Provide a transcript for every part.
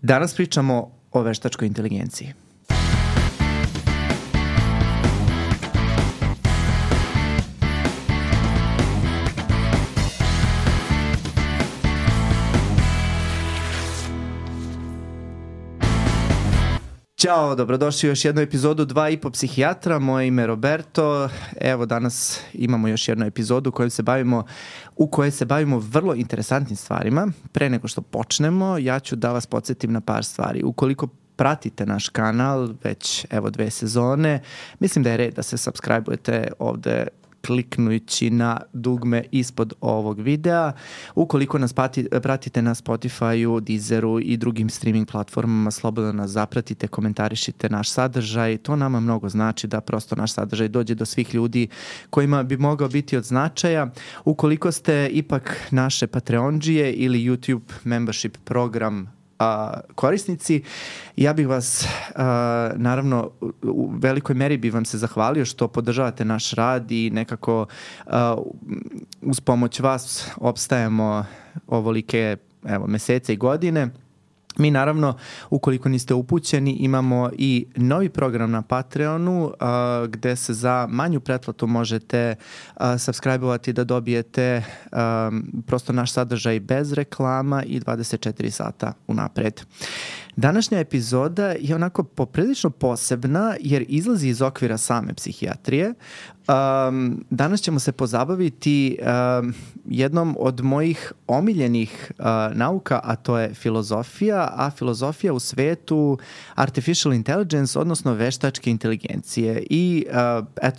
Danas pričamo o veštačkoj inteligenciji. Ćao, dobrodošli u još jednu epizodu 2,5 psihijatra. Moje ime je Roberto. Evo, danas imamo još jednu epizodu u kojoj se bavimo vrlo interesantnim stvarima. Pre nego što počnemo, ja ću da vas podsjetim na par stvari. Ukoliko pratite naš kanal već 2 sezone, mislim da je red da se subscribe-ujete ovde kliknujući na dugme ispod ovog videa. Ukoliko nas pratite na Spotify-u, Deezeru i drugim streaming platformama, slobodno nas zapratite, komentarišite naš sadržaj. To nama mnogo znači da prosto naš sadržaj dođe do svih ljudi kojima bi mogao biti od značaja. Ukoliko ste ipak naše Patreondžije ili YouTube membership program korisnici, ja bih vas naravno u velikoj meri bih vam se zahvalio što podržavate naš rad i nekako uz pomoć vas opstajemo ovolike mesece i godine. Mi naravno, ukoliko niste upućeni, imamo i novi program na Patreonu gde se za manju pretplatu možete subscribe-ovati da dobijete prosto naš sadržaj bez reklama i 24 sata unapred. Današnja epizoda je onako poprilično posebna jer izlazi iz okvira same psihijatrije. Danas ćemo se pozabaviti jednom od mojih omiljenih nauka, a to je filozofija, a filozofija u svetu artificial intelligence, odnosno veštačke inteligencije. I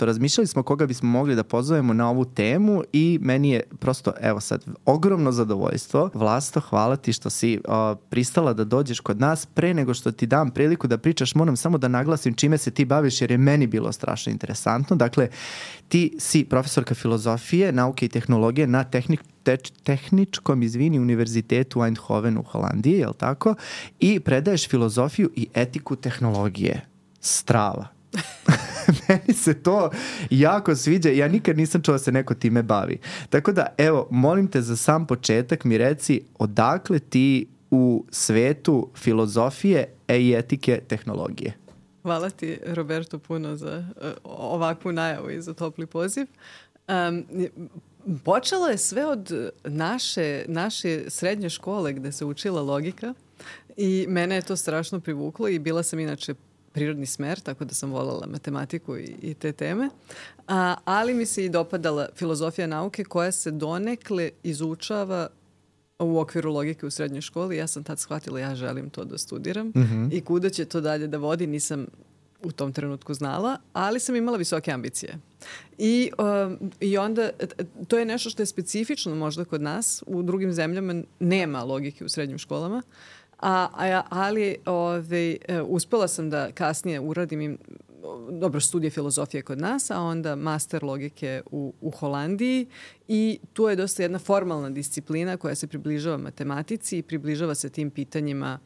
razmišljali smo koga bismo mogli da pozovemo na ovu temu i meni je prosto, sad, ogromno zadovoljstvo. Vlasto, hvala ti što si pristala da dođeš kod nas. Pre nego što ti dam priliku da pričaš, moram samo da naglasim čime se ti baviš jer je meni bilo strašno interesantno. Dakle, ti si profesorka filozofije, nauke i tehnologije na tehničkom univerzitetu u Eindhovenu u Holandiji, je li tako? I predaješ filozofiju i etiku tehnologije. Strava. Meni se to jako sviđa. Ja nikad nisam čuo da se neko time bavi. Tako da, molim te za sam početak mi reci odakle ti u svetu filozofije i etike tehnologije. Hvala ti, Roberto, puno za ovakvu najavu i za topli poziv. Počelo je sve od naše srednje škole gde se učila logika i mene je to strašno privuklo i bila sam inače prirodni smer, tako da sam voljela matematiku i te teme. Ali mi se i dopadala filozofija nauke koja se donekle izučava u okviru logike u srednjoj školi. Ja sam tad shvatila ja želim to da studiram i kuda će to dalje da vodi nisam u tom trenutku znala, ali sam imala visoke ambicije. I onda to je nešto što je specifično možda kod nas. U drugim zemljama nema logike u srednjim školama, ali uspela sam da kasnije uradim studije filozofije kod nas, a onda master logike u Holandiji i tu je dosta jedna formalna disciplina koja se približava matematici i približava se tim pitanjima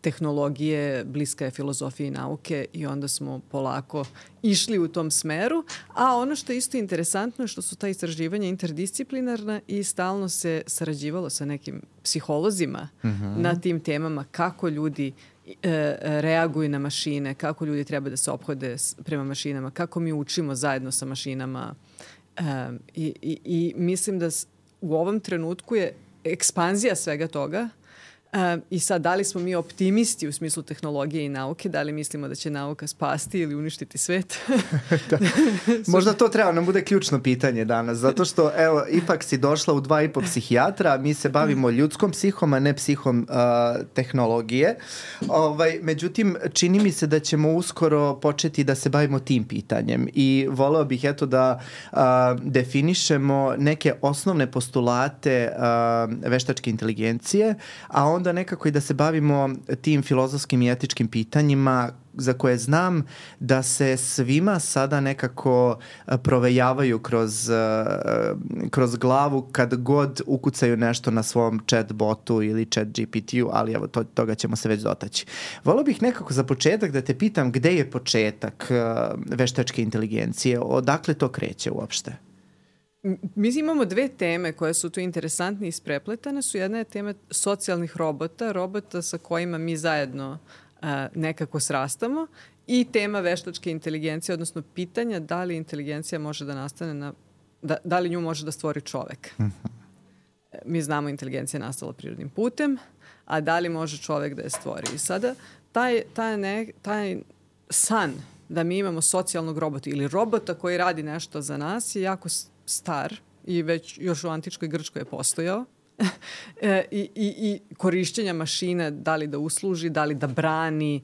tehnologije, bliska je filozofiji i nauke i onda smo polako išli u tom smeru. A ono što je isto interesantno je što su ta istraživanja interdisciplinarna i stalno se sarađivalo sa nekim psiholozima na tim temama kako ljudi reaguju na mašine, kako ljudi treba da se ophode prema mašinama, kako mi učimo zajedno sa mašinama. I mislim da u ovom trenutku je ekspanzija svega toga. I sad, da li smo mi optimisti u smislu tehnologije i nauke, da li mislimo da će nauka spasti ili uništiti svet? Možda to treba nam bude ključno pitanje danas, zato što ipak si došla u 2,5 psihijatra, mi se bavimo ljudskom psihom, a ne psihom tehnologije. Međutim, čini mi se da ćemo uskoro početi da se bavimo tim pitanjem i voleo bih da definišemo neke osnovne postulate veštačke inteligencije, a onda nekako i da se bavimo tim filozofskim i etičkim pitanjima za koje znam da se svima sada nekako provejavaju kroz glavu kad god ukucaju nešto na svom chat botu ili chat GPT-u, ali toga ćemo se već dotaći. Volio bih nekako za početak da te pitam gde je početak veštačke inteligencije, odakle to kreće uopšte? Mi imamo dve teme koje su tu interesantne i isprepletane. Jedna je tema socijalnih robota sa kojima mi zajedno nekako srastamo, i tema veštačke inteligencije, odnosno pitanja da li inteligencija može da nastane da li nju može da stvori čovek. Mi znamo inteligencija je nastala prirodnim putem, a da li može čovek da je stvori. I sada taj san da mi imamo socijalnog robota ili robota koji radi nešto za nas je jako star i već još u antičkoj Grčkoj je postojao. I korišćenja mašine, da li da usluži, da li da brani,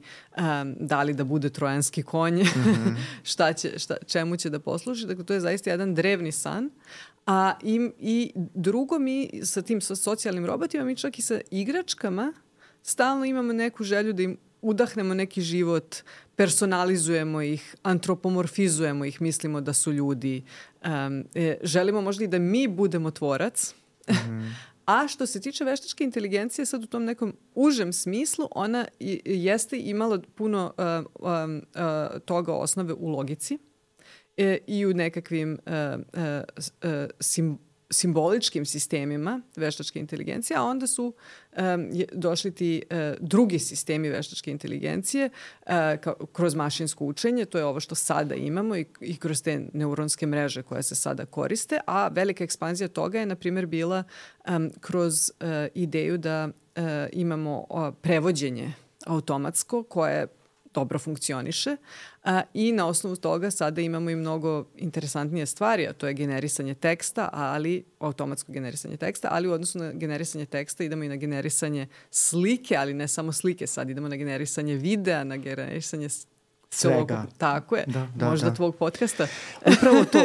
da li da bude trojanski konj, čemu će da posluži. Dakle, to je zaista jedan drevni san. I drugo, mi sa tim socijalnim robotima, mi čak i sa igračkama stalno imamo neku želju da im udahnemo neki život, personalizujemo ih, antropomorfizujemo ih, mislimo da su ljudi. Želimo možda i da mi budemo tvorac. A što se tiče veštačke inteligencije, sad u tom nekom užem smislu, ona jeste imala puno toga osnove u logici i u nekakvim simboličkim sistemima veštačke inteligencije, a onda su došli ti drugi sistemi veštačke inteligencije kroz mašinsko učenje, to je ovo što sada imamo i kroz te neuronske mreže koje se sada koriste, a velika ekspanzija toga je, na primjer, bila kroz ideju da imamo prevođenje automatsko koje dobro funkcioniše i na osnovu toga sada imamo i mnogo interesantnije stvari, a to je generisanje teksta, automatsko generisanje teksta, ali u odnosu na generisanje teksta idemo i na generisanje slike, ali ne samo slike, sad idemo na generisanje videa, na generisanje svega. Tako je. Možda tvog podcasta.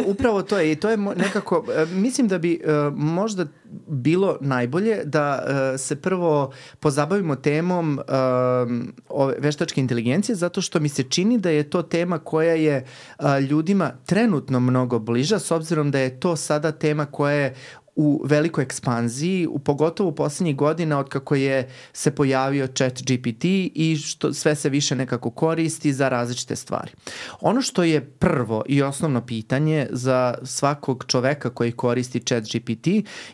Upravo to je. I to je nekako, mislim da bi možda bilo najbolje da se prvo pozabavimo temom veštačke inteligencije, zato što mi se čini da je to tema koja je ljudima trenutno mnogo bliža, s obzirom da je to sada tema koja je u velikoj ekspanziji, pogotovo u poslednjih godina od kako je se pojavio ChatGPT i što sve se više nekako koristi za različite stvari. Ono što je prvo i osnovno pitanje za svakog čoveka koji koristi ChatGPT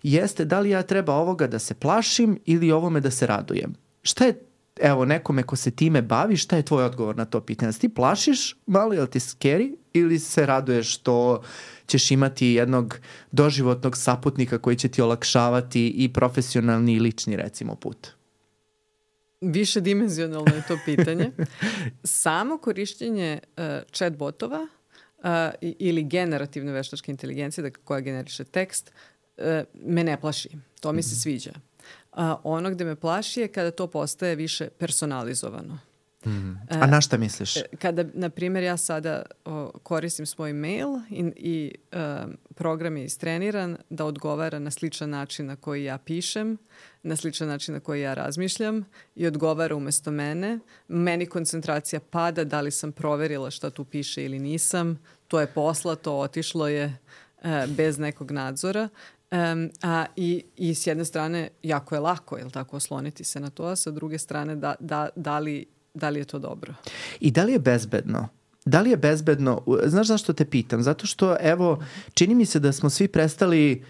jeste da li ja treba ovoga da se plašim ili ovome da se radujem. Šta je, evo, nekome ko se time bavi, šta je tvoj odgovor na to pitanje? Da ti plašiš malo, je li ti scary, ili se raduješ što ćeš imati jednog doživotnog saputnika koji će ti olakšavati i profesionalni i lični, recimo, put? Višedimenzionalno je to pitanje. Samo korišćenje chatbotova ili generativne veštačke inteligencije, koja generiše tekst, me ne plaši. To mi se sviđa. Ono gde me plaši je kada to postaje više personalizovano. A na šta misliš? Kada, na primjer, ja sada koristim svoj mail i program je istreniran da odgovara na sličan način na koji ja pišem, na sličan način na koji ja razmišljam i odgovara umesto mene. Meni koncentracija pada, da li sam proverila šta tu piše ili nisam. To je poslato, otišlo je bez nekog nadzora. I s jedne strane jako je lako, jel tako, osloniti se na to, a sa druge strane da li je to dobro? I da li je bezbedno? Da li je bezbedno? Znaš zašto te pitam? Zato što, evo, čini mi se da smo svi prestali,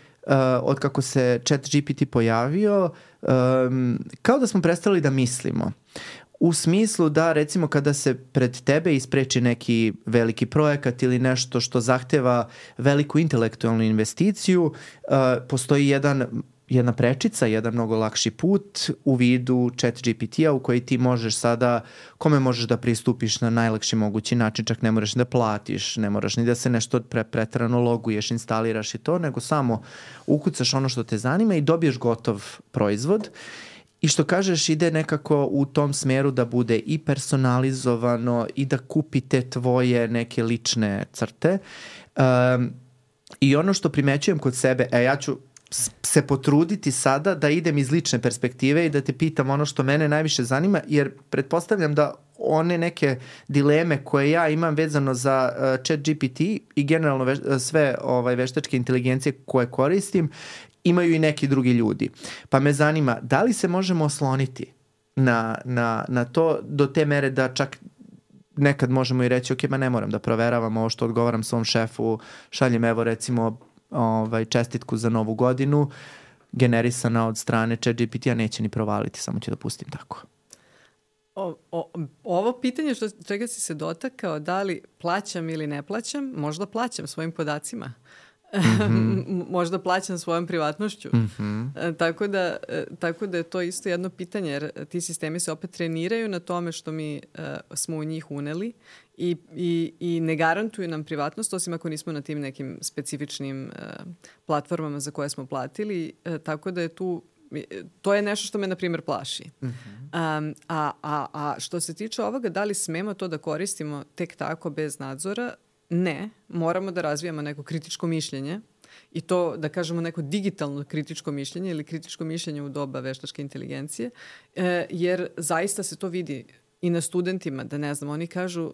od kako se ChatGPT pojavio, kao da smo prestali da mislimo. U smislu da, recimo, kada se pred tebe ispreči neki veliki projekat ili nešto što zahteva veliku intelektualnu investiciju, postoji jedna prečica, jedan mnogo lakši put u vidu ChatGPT-a u koji ti možeš sada, kome možeš da pristupiš na najlakši mogući način, čak ne moraš da platiš, ne moraš ni da se nešto preterano loguješ, instaliraš i to, nego samo ukucaš ono što te zanima i dobiješ gotov proizvod. I što kažeš, ide nekako u tom smeru da bude i personalizovano i da kupite tvoje neke lične crte. I ono što primećujem kod sebe, ja ću se potruditi sada da idem iz lične perspektive i da te pitam ono što mene najviše zanima, jer pretpostavljam da one neke dileme koje ja imam vezano za ChatGPT i generalno sve veštačke inteligencije koje koristim, imaju i neki drugi ljudi. Pa me zanima, da li se možemo osloniti na to do te mere da čak nekad možemo i reći, ok, ne moram da proveravam ovo što odgovaram svom šefu, šaljem, evo, recimo, čestitku za novu godinu generisana od strane ChatGPT-a neće ni provaliti, samo ću da pustim tako. Ovo pitanje čega si se dotakao, da li plaćam ili ne plaćam, možda plaćam svojim podacima. Možda plaćam svojom privatnošću. Tako da je to isto jedno pitanje, jer ti sistemi se opet treniraju na tome što mi smo u njih uneli i ne garantuju nam privatnost, osim ako nismo na tim nekim specifičnim platformama za koje smo platili. Tako da je to je nešto što me, na primjer, plaši. A što se tiče ovoga, da li smemo to da koristimo tek tako bez nadzora? Ne, moramo da razvijamo neko kritičko mišljenje i to, da kažemo, neko digitalno kritičko mišljenje ili kritičko mišljenje u doba veštačke inteligencije, jer zaista se to vidi i na studentima, da ne znam, oni kažu,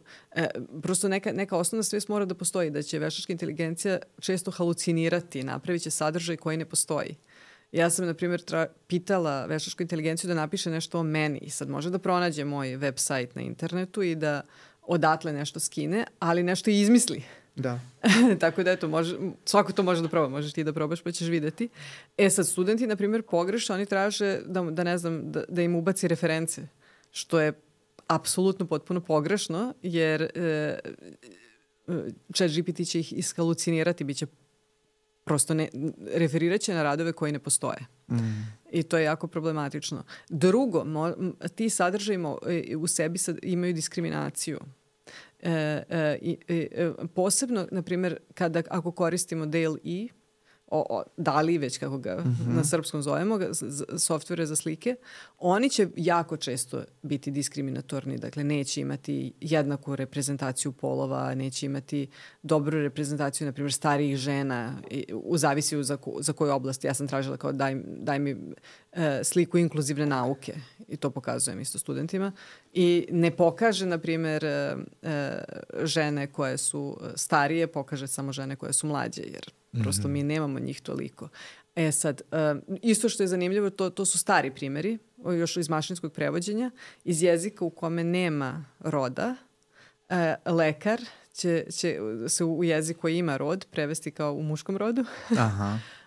prosto neka osnovna svest mora da postoji, da će veštačka inteligencija često halucinirati, napravit će sadržaj koji ne postoji. Ja sam, na primjer, pitala veštačku inteligenciju da napiše nešto o meni i sad može da pronađe moj web sajt na internetu i da odatle nešto skine, ali nešto i izmisli. Da. Tako da eto, svako to može da proba, možeš ti da probaš pa ćeš videti. Sad, studenti, na primjer, pogreše, oni traže da ne znam, da im ubaci reference, što je apsolutno potpuno pogrešno, jer ChatGPT će ih ishalucinirati, bit će prosto referirat će na radove koji ne postoje. I to je jako problematično. Drugo, ti sadržaji u sebi imaju diskriminaciju. Posebno, na primjer, ako koristimo DALL-E, DALL-E već kako ga na srpskom zovemo, softvere za slike, oni će jako često biti diskriminatorni. Dakle, neće imati jednaku reprezentaciju polova, neće imati dobru reprezentaciju, na primjer, starijih žena, zavisi za koju oblast. Ja sam tražila kao daj mi sliku inkluzivne nauke i to pokazujem isto studentima. I ne pokaže, na primjer, žene koje su starije, pokaže samo žene koje su mlađe, jer prosto mi nemamo njih toliko. Sad, isto što je zanimljivo, to su stari primjeri, još iz mašinskog prevođenja, iz jezika u kome nema roda, lekar će se u jezik koji ima rod prevesti kao u muškom rodu,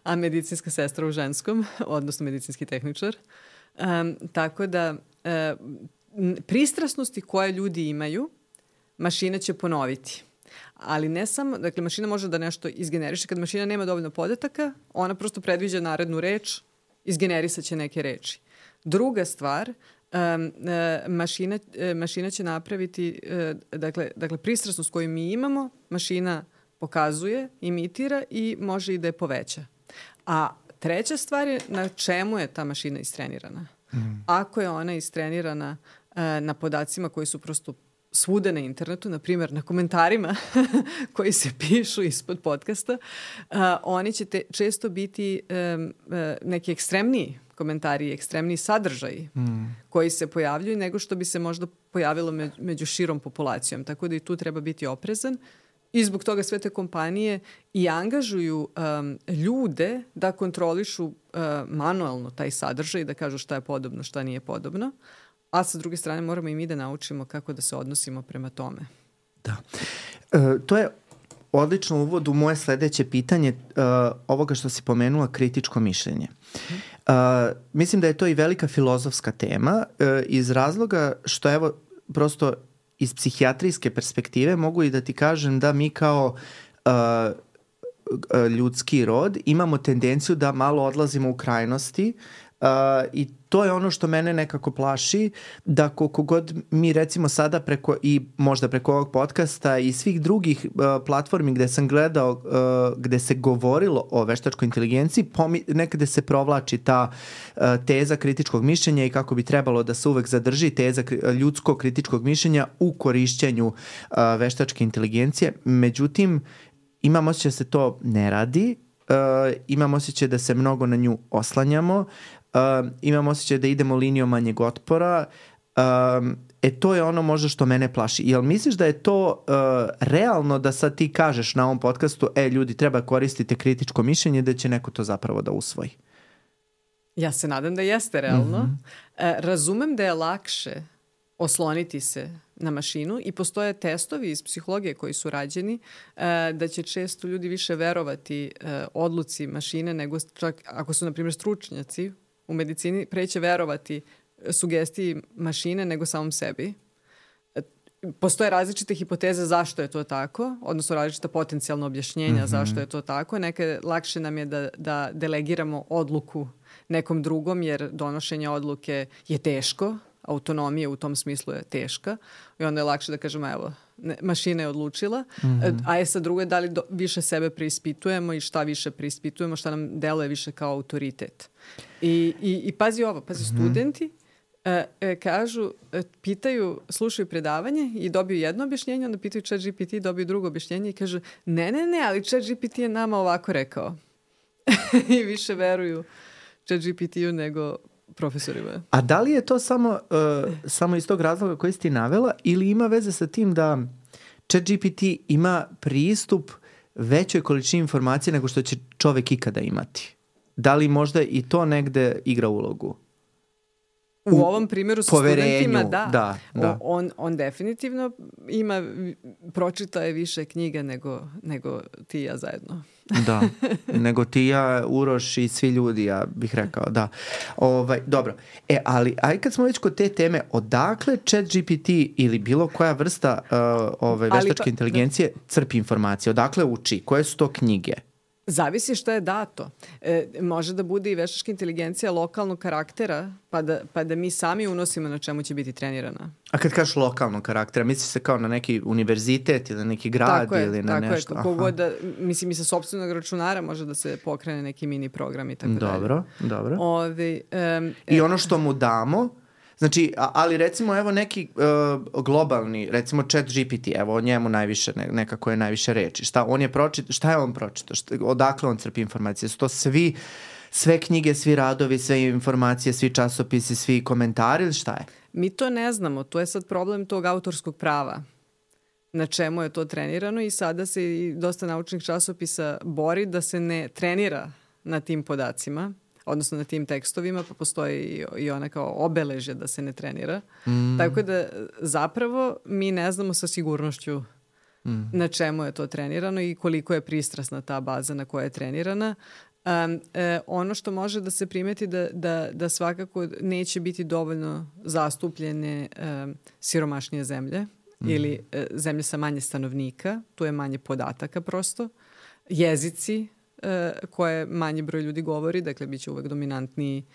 a medicinska sestra u ženskom, odnosno medicinski tehničar. Tako da pristrasnosti koje ljudi imaju, mašina će ponoviti. Ali ne samo, dakle, mašina može da nešto izgeneriše. Kad mašina nema dovoljno podataka, ona prosto predviđa narednu reč, izgenerisat će neke reči. Druga stvar, mašina će napraviti, dakle, pristrasnost koju mi imamo, mašina pokazuje, imitira i može i da je poveća. A treća stvar je na čemu je ta mašina istrenirana. Ako je ona istrenirana na podacima koji su prosto svuda na internetu, na primjer na komentarima koji se pišu ispod podcasta, oni će često biti neki ekstremniji komentari, ekstremniji sadržaji koji se pojavljuju nego što bi se možda pojavilo među širom populacijom. Tako da i tu treba biti oprezan. I zbog toga sve te kompanije i angažuju ljude da kontrolišu manualno taj sadržaj i da kažu šta je podobno, šta nije podobno. A sa druge strane moramo i mi da naučimo kako da se odnosimo prema tome. Da. To je odlično uvod u moje sledeće pitanje ovoga što si pomenula, kritičko mišljenje. Mislim da je to i velika filozofska tema iz razloga što evo prosto iz psihijatrijske perspektive mogu i da ti kažem da mi kao ljudski rod imamo tendenciju da malo odlazimo u krajnosti i to je ono što mene nekako plaši, da koliko god mi recimo sada možda preko ovog podcasta i svih drugih platformi gde sam gledao, gde se govorilo o veštačkoj inteligenciji, nekada se provlači ta teza kritičkog mišljenja i kako bi trebalo da se uvek zadrži teza ljudskog kritičkog mišljenja u korišćenju veštačke inteligencije. Međutim, imam osjećaj da se to ne radi, imam osjećaj da se mnogo na nju oslanjamo, imam osjećaj da idemo linijom manjeg otpora. To je ono možda što mene plaši. Jel misliš da je to realno da sad ti kažeš na ovom podcastu ljudi treba koristiti kritičko mišljenje, da će neko to zapravo da usvoji? Ja se nadam da jeste realno. Razumem da je lakše osloniti se na mašinu i postoje testovi iz psihologije koji su rađeni da će često ljudi više verovati odluci mašine nego čak ako su, na primjer, stručnjaci u medicini, preće verovati sugestiji mašine nego samom sebi. Postoje različite hipoteze zašto je to tako, odnosno različita potencijalna objašnjenja zašto je to tako. Nekad lakše nam je da delegiramo odluku nekom drugom jer donošenje odluke je teško, autonomija u tom smislu je teška i onda je lakše da kažemo evo, mašina je odlučila, a sa druge da li više sebe preispitujemo i šta više preispitujemo, šta nam deluje više kao autoritet. I pazi ovo, studenti kažu, pitaju, slušaju predavanje i dobiju jedno objašnjenje, onda pitaju ChatGPT, dobiju drugo objašnjenje i kažu ne, ali ChatGPT je nama ovako rekao. I više veruju ChatGPT-u nego profesorima. A da li je to samo iz tog razloga koji si ti navela ili ima veze sa tim da ChatGPT ima pristup većoj količini informacije nego što će čovek ikada imati? Da li možda i to negde igra ulogu? U ovom primjeru sa studentima, da. On definitivno pročitao je više knjiga nego ti i ja zajedno. Da, nego ti, ja, Uroš i svi ljudi, ja bih rekao, da. Dobro, ali aj kad smo već kod te teme, odakle ChatGPT ili bilo koja vrsta veštačke inteligencije crpi informacije? Odakle uči? Koje su to knjige? Zavisi šta je dato. Može da bude i veštačka inteligencija lokalnog karaktera, pa da mi sami unosimo na čemu će biti trenirana. A kad kažeš lokalnog karaktera, misliš se kao na neki univerzitet ili na neki grad ili na nešto? Tako je, kogod mislim i sa sopstvenog računara može da se pokrene neki mini program i tako dalje. Dobro. I ono što mu damo, znači, ali recimo evo neki globalni, recimo ChatGPT, evo o njemu najviše, nekako je najviše reči. Šta je on pročitao? Odakle on crpi informacije? Su to sve knjige, svi radovi, sve informacije, svi časopisi, svi komentari ili šta je? Mi to ne znamo. To je sad problem tog autorskog prava. Na čemu je to trenirano i sada se i dosta naučnih časopisa bori da se ne trenira na tim podacima, odnosno na tim tekstovima, pa postoji i ona kao obeležje da se ne trenira. Tako da zapravo mi ne znamo sa sigurnošću na čemu je to trenirano i koliko je pristrasna ta baza na koja je trenirana. Ono što može da se primeti da svakako neće biti dovoljno zastupljene siromašnije zemlje ili zemlje sa manje stanovnika, tu je manje podataka prosto, jezici koje manji broj ljudi govori, dakle bit će uvek dominantniji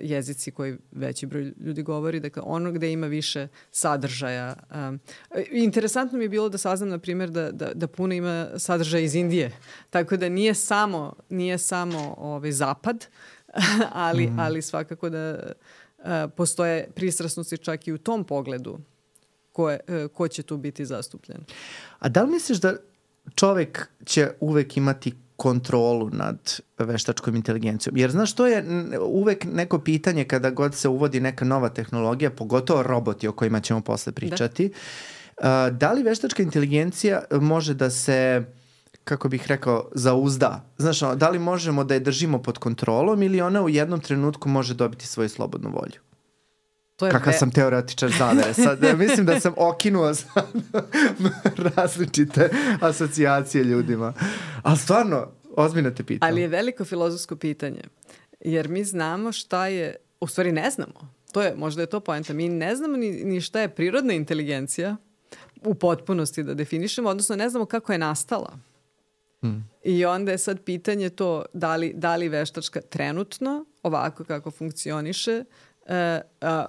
jezici koji veći broj ljudi govori, dakle ono gde ima više sadržaja. Interesantno mi je bilo da saznam, na primjer, da puno ima sadržaja iz Indije, tako da nije samo zapad, ali svakako da postoje pristrasnosti čak i u tom pogledu ko će tu biti zastupljen. A da li misliš da čovek će uvek imati kontrolu nad veštačkom inteligencijom? Jer znaš, to je uvek neko pitanje kada god se uvodi neka nova tehnologija, pogotovo roboti o kojima ćemo posle pričati. Da li veštačka inteligencija može da se, kako bih rekao, zauzda? Znaš, da li možemo da je držimo pod kontrolom ili ona u jednom trenutku može dobiti svoju slobodnu volju? Kakav sam teoretičar zavere. Sad, mislim da sam okinuo sad različite asocijacije ljudima. Ali stvarno, ozbiljno te pitam. Ali je veliko filozofsko pitanje. Jer mi znamo šta je, u stvari ne znamo. Možda je to poenta. Mi ne znamo ni šta je prirodna inteligencija u potpunosti da definišemo, odnosno ne znamo kako je nastala. I onda je sad pitanje to da li veštačka trenutno, ovako kako funkcioniše,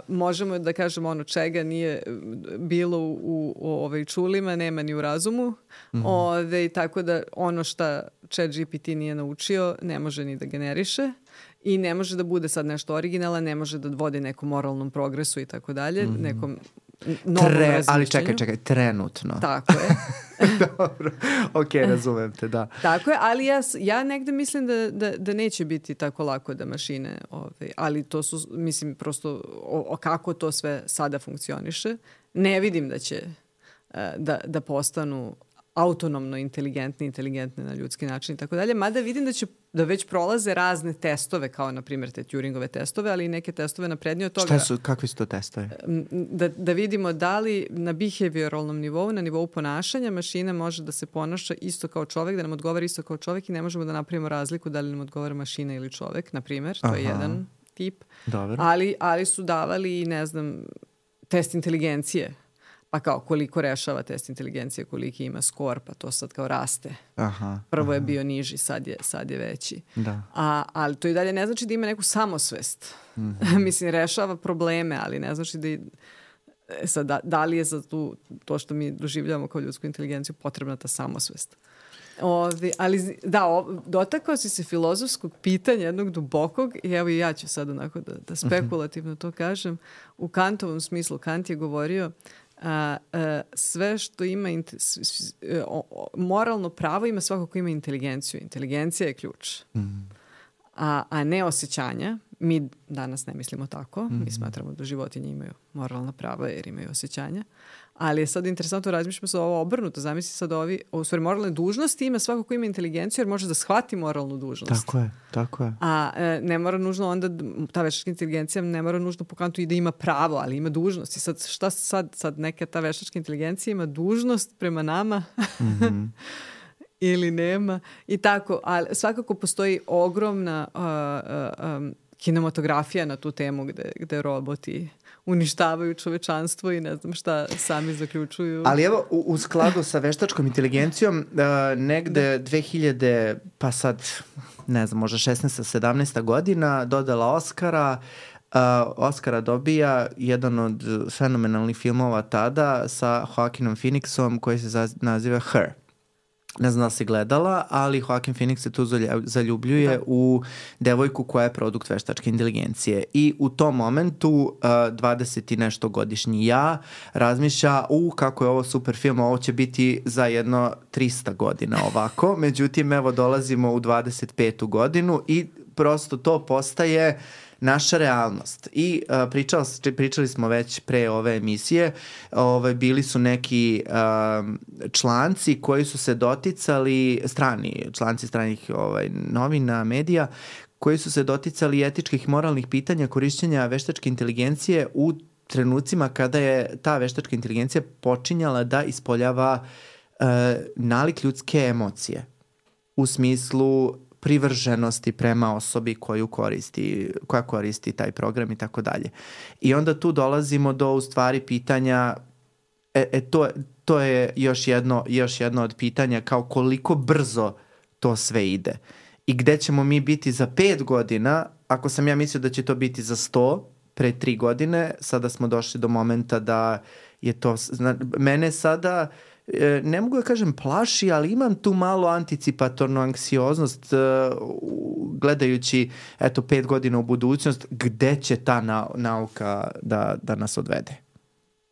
možemo da kažemo ono čega nije bilo u čulima, nema ni u razumu, tako da ono šta ChatGPT nije naučio ne može ni da generiše i ne može da bude sad nešto originalno, ne može da vodi nekom moralnom progresu i tako dalje, nekom novom razmišljenju. Ali čekaj, trenutno. Tako je. Dobro, razumem te, da. Tako je, ali ja negde mislim da neće biti tako lako da mašine, ali to su, mislim, prosto kako to sve sada funkcioniše. Ne vidim da će da postanu autonomno inteligentne na ljudski način i tako dalje, mada vidim da će da već prolaze razne testove, kao na primjer te Turingove testove, ali i neke testove naprednije od toga. Kakvi su to testovi? Da vidimo da li na behavioralnom nivou, na nivou ponašanja, mašina može da se ponaša isto kao čovek, da nam odgovara isto kao čovek i ne možemo da napravimo razliku da li nam odgovara mašina ili čovek, na primjer. To je jedan tip. Dobro. Ali su davali, ne znam, test inteligencije. Pa kao koliko rešava test inteligencije, koliki ima skor, pa to sad kao raste. Prvo je bio niži, sad je veći. Da. Ali to i dalje ne znači da ima neku samosvest. Mislim, rešava probleme, ali ne znači da li je za to što mi doživljavamo kao ljudsku inteligenciju potrebna ta samosvest. Ali dotakao si se filozofskog pitanja, jednog dubokog, i evo i ja ću sad onako da spekulativno to kažem. U Kantovom smislu, Kant je govorio sve što ima moralno pravo ima svako ko ima inteligenciju. Inteligencija je ključ. A ne osjećanja. Mi danas ne mislimo tako. Mi smatramo da životinje imaju moralna prava jer imaju osjećanja. Ali je sad interesantno, razmišljamo se ovo obrnuto. Zamisli sad u stvari moralne dužnosti ima svako ko ima inteligenciju jer može da shvati moralnu dužnost. Tako je. A ne mora nužno onda, ta veštačka inteligencija ne mora nužno po Kantu i da ima pravo, ali ima dužnost. I sad neka ta veštačka inteligencija ima dužnost prema nama ili nema. I tako, ali svakako postoji ogromna kinematografija na tu temu gde roboti uništavaju čovečanstvo i ne znam šta sami zaključuju. Ali evo, u skladu sa veštačkom inteligencijom, negde 2000, pa sad, ne znam, možda 16. 17. godina, dodala Oscara dobija jedan od fenomenalnih filmova tada sa Joaquinom Phoenixom koji se naziva Her. Ne znam da si gledala, ali Joaquin Phoenix se tu zaljubljuje u devojku koja je produkt veštačke inteligencije. I u tom momentu 20 i nešto godišnji razmišlja kako je ovo super film, ovo će biti za jedno 300 godina ovako. Međutim, evo dolazimo u 25. godinu i prosto to postaje naša realnost. I pričali smo već pre ove emisije, bili su neki članci koji su se doticali, članci stranih novina, medija, koji su se doticali etičkih i moralnih pitanja korišćenja veštačke inteligencije u trenucima kada je ta veštačka inteligencija počinjala da ispoljava nalik ljudske emocije u smislu privrženosti prema osobi koja koristi taj program i tako dalje. I onda tu dolazimo do u stvari pitanja, to je još jedno od pitanja kao koliko brzo to sve ide. I gde ćemo mi biti za 5 godina, ako sam ja mislio da će to biti za 100, pre 3 godine, sada smo došli do momenta da je to, mene sada, ne mogu da kažem plaši, ali imam tu malo anticipatornu anksioznost gledajući 5 godina u budućnost, gde će ta nauka da nas odvede.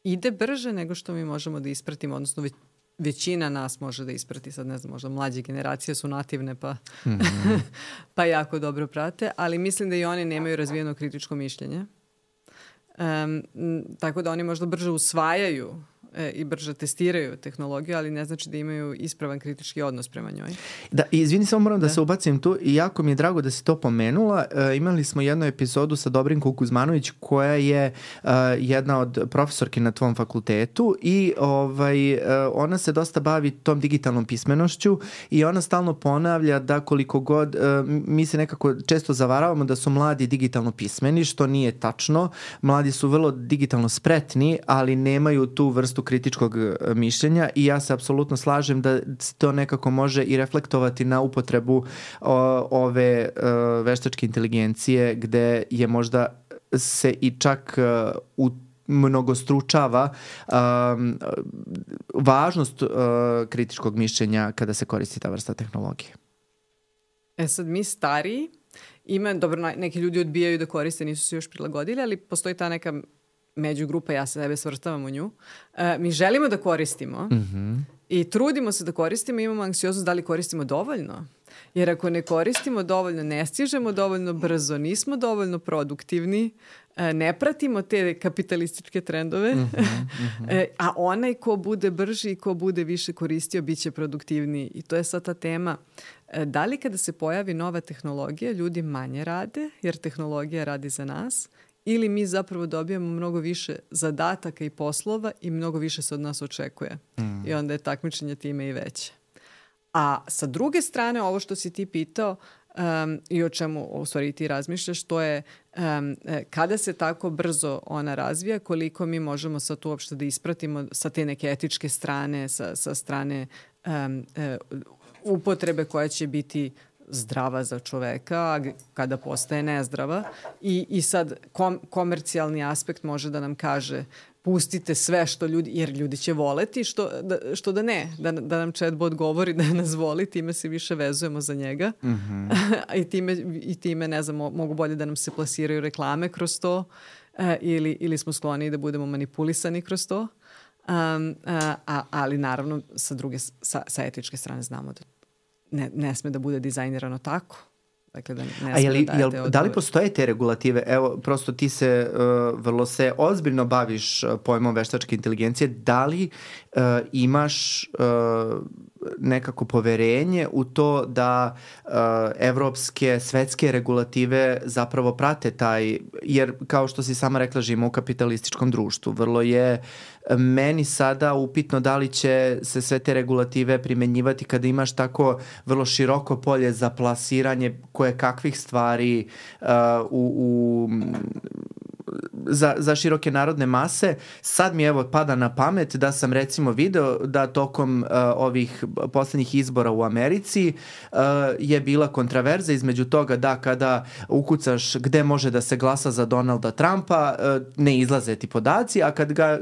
Ide brže nego što mi možemo da ispratimo, odnosno većina nas može da isprati, sad ne znam, možda mlađe generacije su nativne pa jako dobro prate, ali mislim da i oni nemaju razvijeno kritičko mišljenje. Tako da oni možda brže usvajaju i brže testiraju tehnologiju, ali ne znači da imaju ispravan kritički odnos prema njoj. Da, izvini, samo moram da se ubacim tu i jako mi je drago da si to pomenula. Imali smo jednu epizodu sa Dobrinkom Kuzmanović koja je jedna od profesorki na tvom fakultetu i ona se dosta bavi tom digitalnom pismenošću i ona stalno ponavlja da koliko god, mi se nekako često zavaravamo da su mladi digitalno pismeni, što nije tačno. Mladi su vrlo digitalno spretni, ali nemaju tu vrstu kritičkog mišljenja i ja se apsolutno slažem da se to nekako može i reflektovati na upotrebu ove veštačke inteligencije gde je možda se i čak mnogostručava važnost kritičkog mišljenja kada se koristi ta vrsta tehnologije. Sad mi stariji, neki ljudi odbijaju da koriste, nisu se još prilagodili, ali postoji ta neka međugrupa, ja se sebe svrstavam u nju. Mi želimo da koristimo i trudimo se da koristimo, imamo anksioznost da li koristimo dovoljno. Jer ako ne koristimo dovoljno, ne stižemo dovoljno brzo, nismo dovoljno produktivni, ne pratimo te kapitalističke trendove, a onaj ko bude brži i ko bude više koristio, bit će produktivniji. I to je sad ta tema. Da li kada se pojavi nova tehnologija, ljudi manje rade, jer tehnologija radi za nas, ili mi zapravo dobijamo mnogo više zadataka i poslova i mnogo više se od nas očekuje. I onda je takmičenje time i veće. A sa druge strane, ovo što si ti pitao i o čemu u stvari ti razmišljaš, to je kada se tako brzo ona razvija, koliko mi možemo sad uopšte da ispratimo sa te neke etičke strane, sa strane upotrebe koja će biti zdrava za čoveka, kada postaje nezdrava. I sad komercijalni aspekt može da nam kaže pustite sve što ljudi, jer ljudi će voleti, što da ne, da nam chatbot govori da nas voli, time se više vezujemo za njega. I time, ne znam, mogu bolje da nam se plasiraju reklame kroz to, ili smo skloni da budemo manipulisani kroz to. Ali naravno, sa etičke strane znamo da ne sme da bude dizajnirano tako. Dakle, da da li postoje te regulative? Evo, prosto ti se vrlo se ozbiljno baviš pojmom veštačke inteligencije. Da li imaš nekako poverenje u to da evropske, svetske regulative zapravo prate taj, jer kao što si sama rekla, živimo u kapitalističkom društvu. Vrlo je meni sada upitno da li će se sve te regulative primenjivati kada imaš tako vrlo široko polje za plasiranje koje kakvih stvari za široke narodne mase. Sad mi evo pada na pamet da sam recimo video da tokom ovih poslednjih izbora u Americi je bila kontraverza između toga da kada ukucaš gde može da se glasa za Donalda Trumpa, ne izlaze ti podaci, a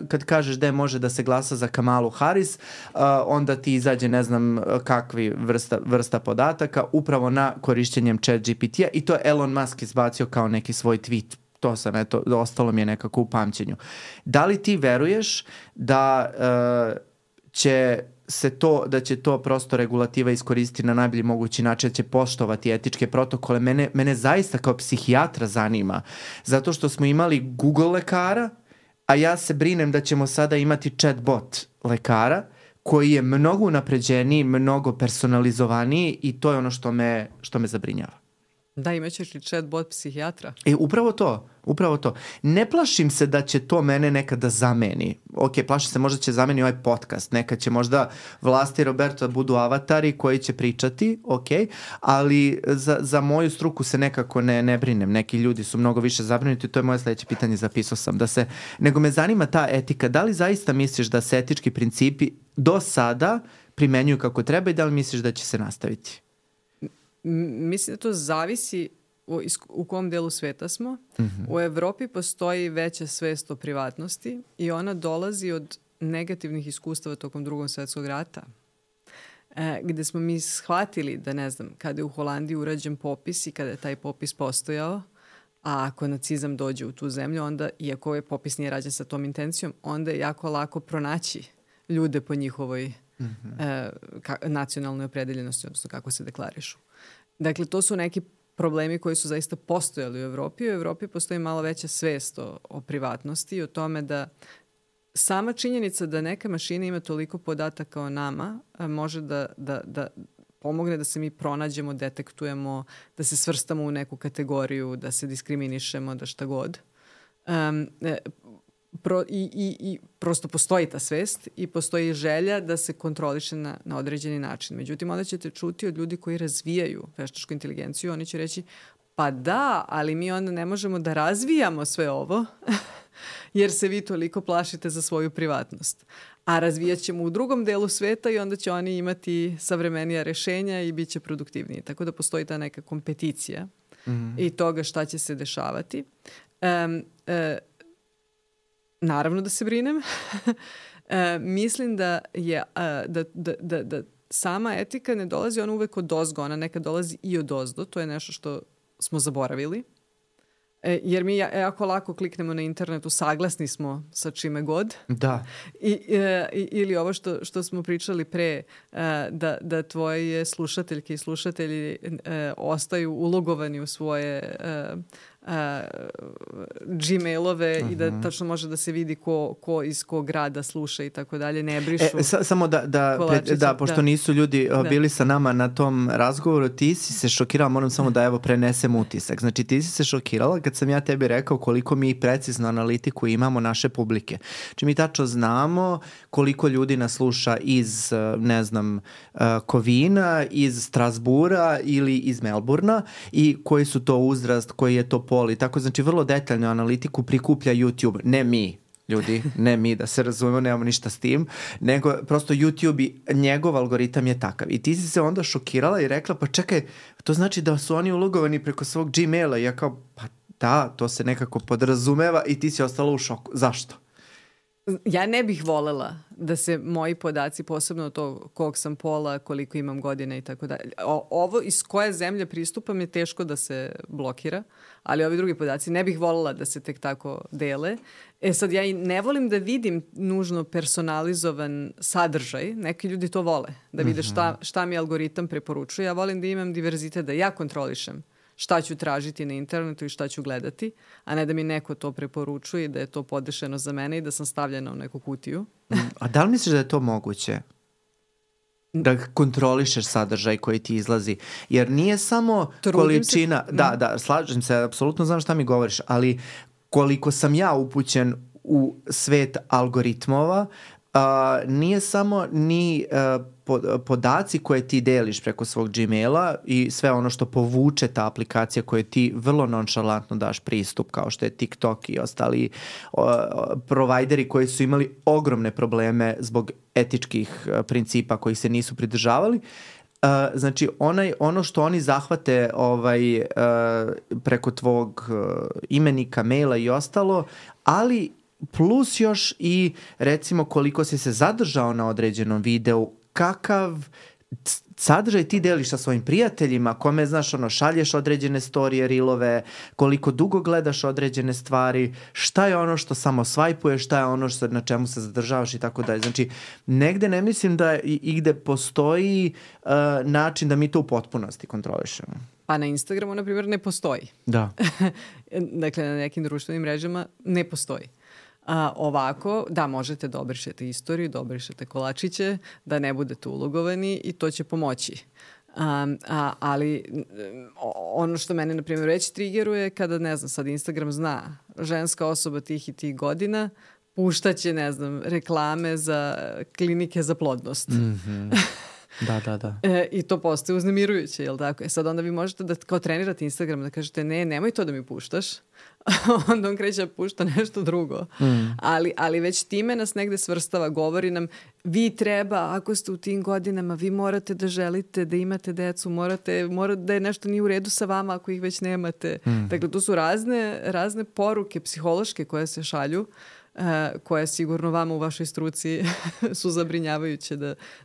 kad kažeš gde može da se glasa za Kamalu Harris, onda ti izađe ne znam kakvi vrsta podataka upravo na korišćenjem ChatGPT-a i to je Elon Musk izbacio kao neki svoj tweet. To sam, eto, ostalo mi je nekako u pamćenju. Da li ti veruješ da da će to prosto regulativa iskoristiti na najbolji mogući način, da će poštovati etičke protokole? Mene zaista kao psihijatra zanima, zato što smo imali Google lekara, a ja se brinem da ćemo sada imati chatbot lekara, koji je mnogo unapređeniji, mnogo personalizovaniji i to je ono što me zabrinjava. Da, imaćeš li chatbot psihijatra? Upravo to. Ne plašim se da će to mene nekada zameni. Ok, plašim se možda će zameni ovaj podcast. Nekad će možda Vlasta i Roberto budu avatari koji će pričati, ok, ali za moju struku se nekako ne brinem. Neki ljudi su mnogo više zabrinuti, to je moje sledeće pitanje, zapisao sam. Nego me zanima ta etika. Da li zaista misliš da se etički principi do sada primenjuju kako treba i da li misliš da će se nastaviti? Mislim da to zavisi u kom delu sveta smo. U Evropi postoji veća svest o privatnosti i ona dolazi od negativnih iskustava tokom Drugog svjetskog rata. Gde smo mi shvatili da, ne znam, kada je u Holandiji urađen popis i kada je taj popis postojao, a ako nacizam dođe u tu zemlju, onda, iako je popis nije rađen sa tom intencijom, onda je jako lako pronaći ljude po njihovoj nacionalnoj opredeljenosti, odnosno kako se deklarišu. Dakle, to su neki problemi koji su zaista postojali u Evropi. U Evropi postoji malo veća svest o privatnosti i o tome da sama činjenica da neka mašina ima toliko podataka o nama može da pomogne da se mi pronađemo, detektujemo, da se svrstamo u neku kategoriju, da se diskriminišemo, da šta god. I prosto postoji ta svest i postoji želja da se kontroliše na određeni način. Međutim, onda ćete čuti od ljudi koji razvijaju veštačku inteligenciju, oni će reći, pa da, ali mi onda ne možemo da razvijamo sve ovo jer se vi toliko plašite za svoju privatnost. A razvijat ćemo u drugom delu sveta i onda će oni imati savremenija rešenja i bit će produktivniji. Tako da postoji ta neka kompeticija i toga šta će se dešavati. Naravno da se brinem. Mislim da je da sama etika ne dolazi ona uvek od ozgo, ona nekad dolazi i od ozdo. To je nešto što smo zaboravili. Jer mi jako lako kliknemo na internetu, saglasni smo sa čime god. Da. Ili ovo što smo pričali pre, da tvoje slušateljke i slušatelji ostaju ulogovani u svoje Gmailove i da tačno može da se vidi ko iz kog grada sluša i tako dalje, ne brišu. Samo da pošto nisu ljudi bili sa nama na tom razgovoru, ti si se šokirala, moram samo da prenesem utisak. Znači ti si se šokirala kad sam ja tebi rekao koliko mi precizno analitiku imamo naše publike. Znači mi tačno znamo koliko ljudi nas sluša iz, ne znam, Kovina, iz Strasbura ili iz Melburna i koji su to uzrast, koji je to pol i tako. Znači vrlo detaljnu analitiku prikuplja YouTube, ne mi. Ljudi, ne mi, da se razumemo, nemamo ništa s tim, nego prosto YouTube i njegov algoritam je takav. I ti si se onda šokirala i rekla, pa čekaj, to znači da su oni ulogovani preko svog Gmaila. I ja kao, pa da, to se nekako podrazumeva i ti si ostala u šoku. Zašto? Ja ne bih volela da se moji podaci, posebno to kog sam pola, koliko imam godina i tako dalje. Ovo iz koje zemlje pristupam je teško da se blokira, ali ovi drugi podaci ne bih volela da se tek tako dele. Sad ja i ne volim da vidim nužno personalizovan sadržaj. Neki ljudi to vole, da vide šta mi algoritam preporučuje. Ja volim da imam diverzitet, da ja kontrolišem šta ću tražiti na internetu i šta ću gledati, a ne da mi neko to preporučuje i da je to podešeno za mene i da sam stavljena u neku kutiju. A da li misliš da je to moguće? Da kontrolišeš sadržaj koji ti izlazi? Jer nije samo količina... Da, slažem se, apsolutno znam šta mi govoriš, ali koliko sam ja upućen u svet algoritmova, nije samo ni podaci koje ti deliš preko svog Gmaila i sve ono što povuče ta aplikacija koje ti vrlo nonšalantno daš pristup, kao što je TikTok i ostali provajderi koji su imali ogromne probleme zbog etičkih principa kojih se nisu pridržavali. Znači ono što oni zahvate preko tvog imenika, maila i ostalo, ali plus još i recimo koliko si se zadržao na određenom videu, kakav sadržaj ti deliš sa svojim prijateljima, kome znaš šalješ određene storije, reelove, koliko dugo gledaš određene stvari, šta je ono što samo swajpuješ, šta je ono na čemu se zadržavaš i tako dalje. Znači, negde ne mislim da igde postoji način da mi to u potpunosti kontrolišemo. Pa na Instagramu, na primjer, ne postoji. Da. Dakle, na nekim društvenim mrežama ne postoji. Ovako, da, možete da obrišete istoriju, da obrišete kolačiće, da ne budete ulogovani i to će pomoći. Ali ono što mene, na primjer, već triggeruje kada, ne znam, sad Instagram zna ženska osoba tih i tih godina, puštaće, ne znam, reklame za klinike za plodnost. Mm-hmm. Da. I to postaje uznemirujuće, jel tako? Sad onda vi možete da kao trenirate Instagram, da kažete nemoj to da mi puštaš. Onda on kreće da pušta nešto drugo. Ali već time nas negde svrstava, govori nam vi treba, ako ste u tim godinama, vi morate da želite da imate decu, morate da je nešto nije u redu sa vama ako ih već nemate. Dakle, tu su razne poruke psihološke koje se šalju, koje sigurno vama u vašoj struci su zabrinjavajuće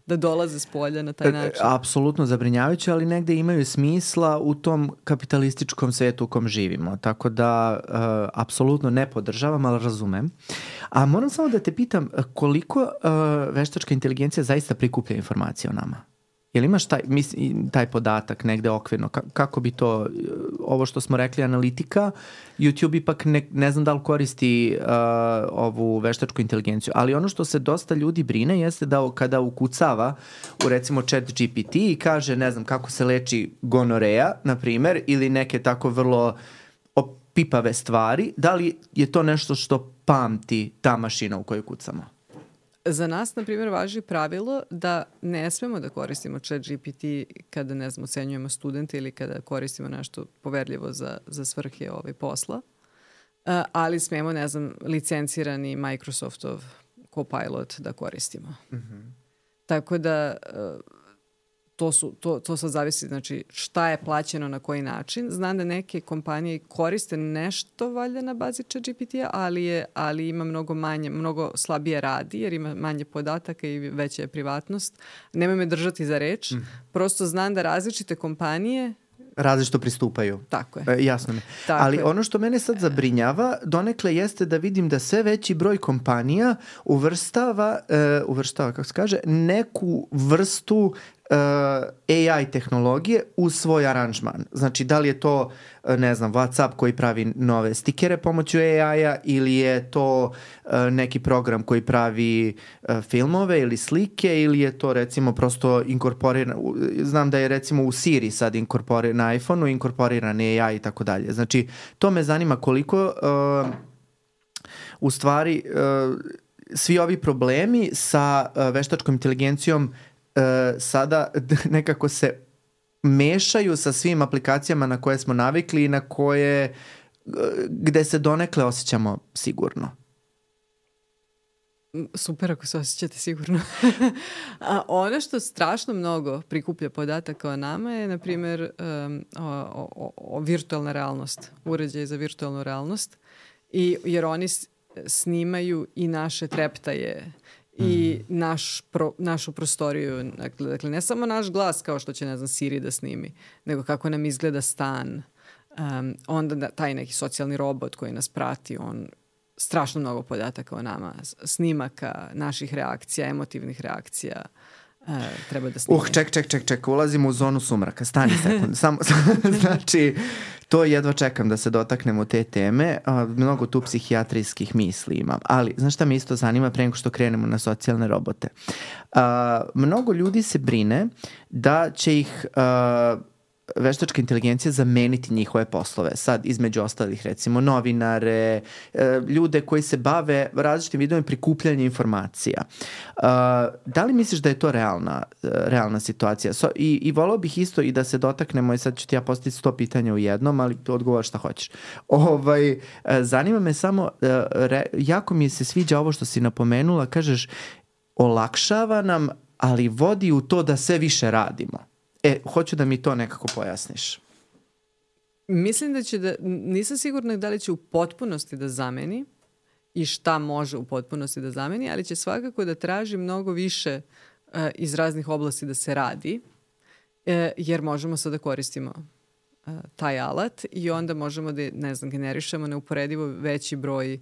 da dolaze s polja na taj način. Apsolutno zabrinjavajuće, ali negde imaju smisla u tom kapitalističkom svetu u kom živimo. Tako da apsolutno ne podržavam, ali razumem. A moram samo da te pitam koliko veštačka inteligencija zaista prikuplja informacije o nama? Jel imaš taj podatak negde okvirno? Kako bi to, ovo što smo rekli, analitika, YouTube ipak ne znam da li koristi ovu veštačku inteligenciju, ali ono što se dosta ljudi brine jeste da kada ukucava u recimo ChatGPT i kaže, ne znam, kako se leči gonoreja, na primer, ili neke tako vrlo opipave stvari, da li je to nešto što pamti ta mašina u kojoj kucamo? Za nas, na primjer, važi pravilo da ne smemo da koristimo ChatGPT kada, ne znam, ocenjujemo studente ili kada koristimo nešto poverljivo za svrhe posla, ali smemo, ne znam, licencirani Microsoftov Copilot da koristimo. Mm-hmm. Tako da to sad zavisi, znači, šta je plaćeno na koji način. Znam da neke kompanije koriste nešto valjda na bazi ChatGPT-a, ali ima mnogo slabije radi jer ima manje podataka i veća je privatnost. Nemoj me držati za reč. Prosto znam da različite kompanije različito pristupaju. Tako je. Jasno mi. Tako Ali je. ono što mene sad zabrinjava donekle jeste da vidim da sve veći broj kompanija uvrštava, kako se kaže, neku vrstu AI tehnologije u svoj aranžman. Znači, da li je to, ne znam, WhatsApp koji pravi nove stikere pomoću AI-a ili je to neki program koji pravi filmove ili slike ili je to recimo prosto inkorporirano. Znam da je recimo u Siri sad na iPhone-u inkorporiran AI i tako dalje. Znači, to me zanima koliko u stvari svi ovi problemi sa veštačkom inteligencijom sada nekako se mešaju sa svim aplikacijama na koje smo navikli i na koje gde se donekle osjećamo sigurno. Super ako se osjećate sigurno. A ono što strašno mnogo prikuplja podataka o nama je, na primjer, virtualna realnost, uređaj za virtualnu realnost. Jer oni snimaju i naše treptaje i našu prostoriju. Dakle, ne samo naš glas kao što će, ne znam, Siri da snimi, nego kako nam izgleda stan. Onda taj neki socijalni robot koji nas prati, on strašno mnogo podataka o nama, snimaka, naših reakcija, emotivnih reakcija. Treba da snime. Ček, ulazimo u zonu sumraka. Stani sekund. Znači, to jedva čekam da se dotaknemo te teme. Mnogo tu psihijatrijskih misli imam. Ali, znaš šta me isto zanima pre nego što krenemo na socijalne robote? Mnogo ljudi se brine da će ih veštačka inteligencija zameniti njihove poslove. Sad, između ostalih, recimo, novinare, ljude koji se bave različitim vidovima prikupljanja informacija. Da li misliš da je to realna situacija? I volao bih isto i da se dotaknemo, i sad ću ti ja postaviti 100 pitanja u jednom, ali odgovor šta hoćeš. Zanima me samo, jako mi se sviđa ovo što si napomenula, kažeš, olakšava nam, ali vodi u to da sve više radimo. Hoću da mi to nekako pojasniš. Mislim da nisam sigurna da li će u potpunosti da zameni i šta može u potpunosti da zameni, ali će svakako da traži mnogo više iz raznih oblasti da se radi, jer možemo sad da koristimo taj alat i onda možemo da, ne znam, generišemo neuporedivo veći broj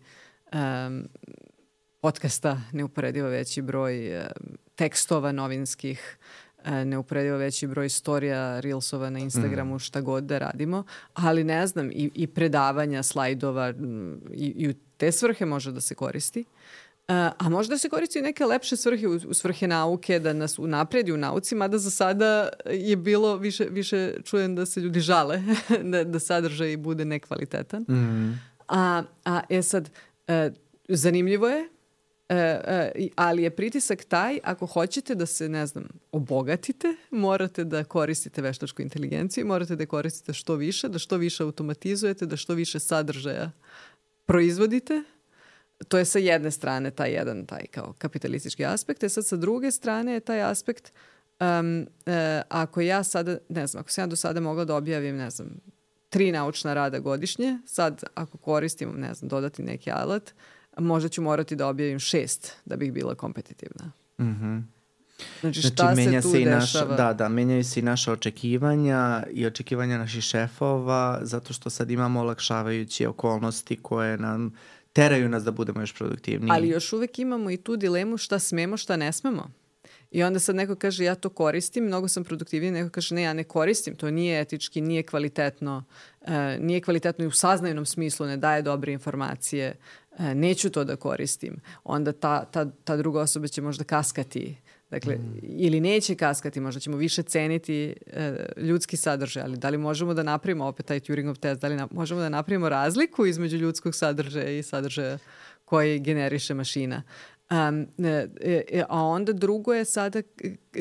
podcasta, neuporedivo veći broj tekstova novinskih, neuporedivo veći broj storija, reelsova na Instagramu, šta god da radimo, ali ne znam, i predavanja, slajdova i u te svrhe može da se koristi. A može da se koristi i neke lepše svrhe, u svrhe nauke, da nas unapredi u nauci, mada za sada je bilo više čujem da se ljudi žale, da sadržaj bude nekvalitetan. Sad, zanimljivo je, ali je pritisak taj, ako hoćete da se, ne znam, obogatite, morate da koristite veštačku inteligenciju, morate da koristite što više, da što više automatizujete, da što više sadržaja proizvodite. To je sa jedne strane taj kao kapitalistički aspekt, sad sa druge strane je taj aspekt ako ja sada, ne znam, ako sam ja do sada mogla da objavim, ne znam, 3 naučna rada godišnje, sad ako koristim, ne znam, dodati neki alat, možda ću morati da objavim 6 da bih bila kompetitivna. Znači, šta se tu dešava? Menjaju se i naša očekivanja i očekivanja naših šefova, zato što sad imamo olakšavajuće okolnosti koje nam teraju nas da budemo još produktivniji. Ali još uvek imamo i tu dilemu šta smemo, šta ne smemo. I onda sad neko kaže ja to koristim, mnogo sam produktivniji, neko kaže ne, ja ne koristim, to nije etički, nije kvalitetno i u saznajnom smislu ne daje dobre informacije, neću to da koristim. Onda ta druga osoba će možda kaskati, dakle, ili neće kaskati, možda ćemo više ceniti ljudski sadržaj, ali da li možemo da napravimo opet taj Turingov test, da li možemo da napravimo razliku između ljudskog sadržaja i sadržaja koji generiše mašina. A onda drugo je sada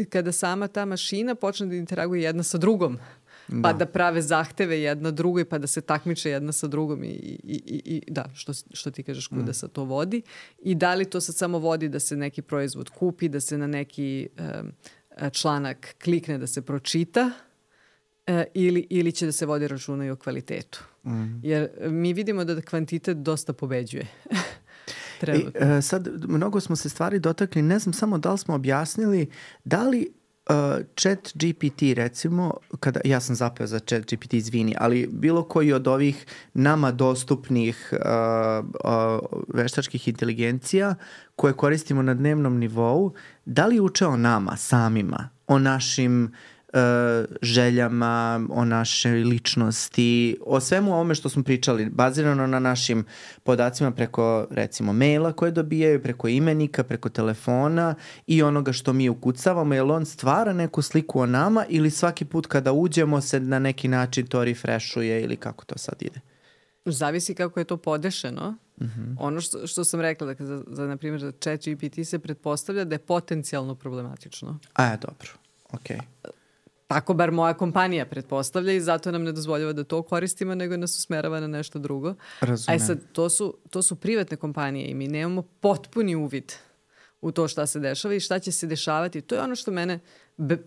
kada sama ta mašina počne da interaguje jedna sa drugom, pa da prave zahteve jedna drugoj, pa da se takmiče jedna sa drugom i što ti kažeš, kuda se to vodi i da li to sad samo vodi da se neki proizvod kupi, da se na neki članak klikne da se pročita ili će da se vodi računa i o kvalitetu. Jer mi vidimo da kvantitet dosta pobeđuje. Sad, mnogo smo se stvari dotakli, ne znam samo da li smo objasnili da li Chat GPT recimo, ja sam zapeo za Chat GPT, izvini, ali bilo koji od ovih nama dostupnih veštačkih inteligencija koje koristimo na dnevnom nivou, da li uče o nama samima, o našim željama, o našoj ličnosti, o svemu ovome što smo pričali, bazirano na našim podacima preko, recimo, maila koje dobijaju, preko imenika, preko telefona i onoga što mi ukucavamo, jer on stvara neku sliku o nama ili svaki put kada uđemo se na neki način to refreshuje ili kako to sad ide? Zavisi kako je to podešeno. Ono što sam rekla, dakle, na primjer, za Chat GPT se pretpostavlja da je potencijalno problematično. Dobro, okej. Tako bar moja kompanija pretpostavlja i zato nam ne dozvoljava da to koristimo, nego nas usmerava na nešto drugo. Razumem. A sad, to su privatne kompanije i mi nemamo potpuni uvid u to šta se dešava i šta će se dešavati. To je ono što mene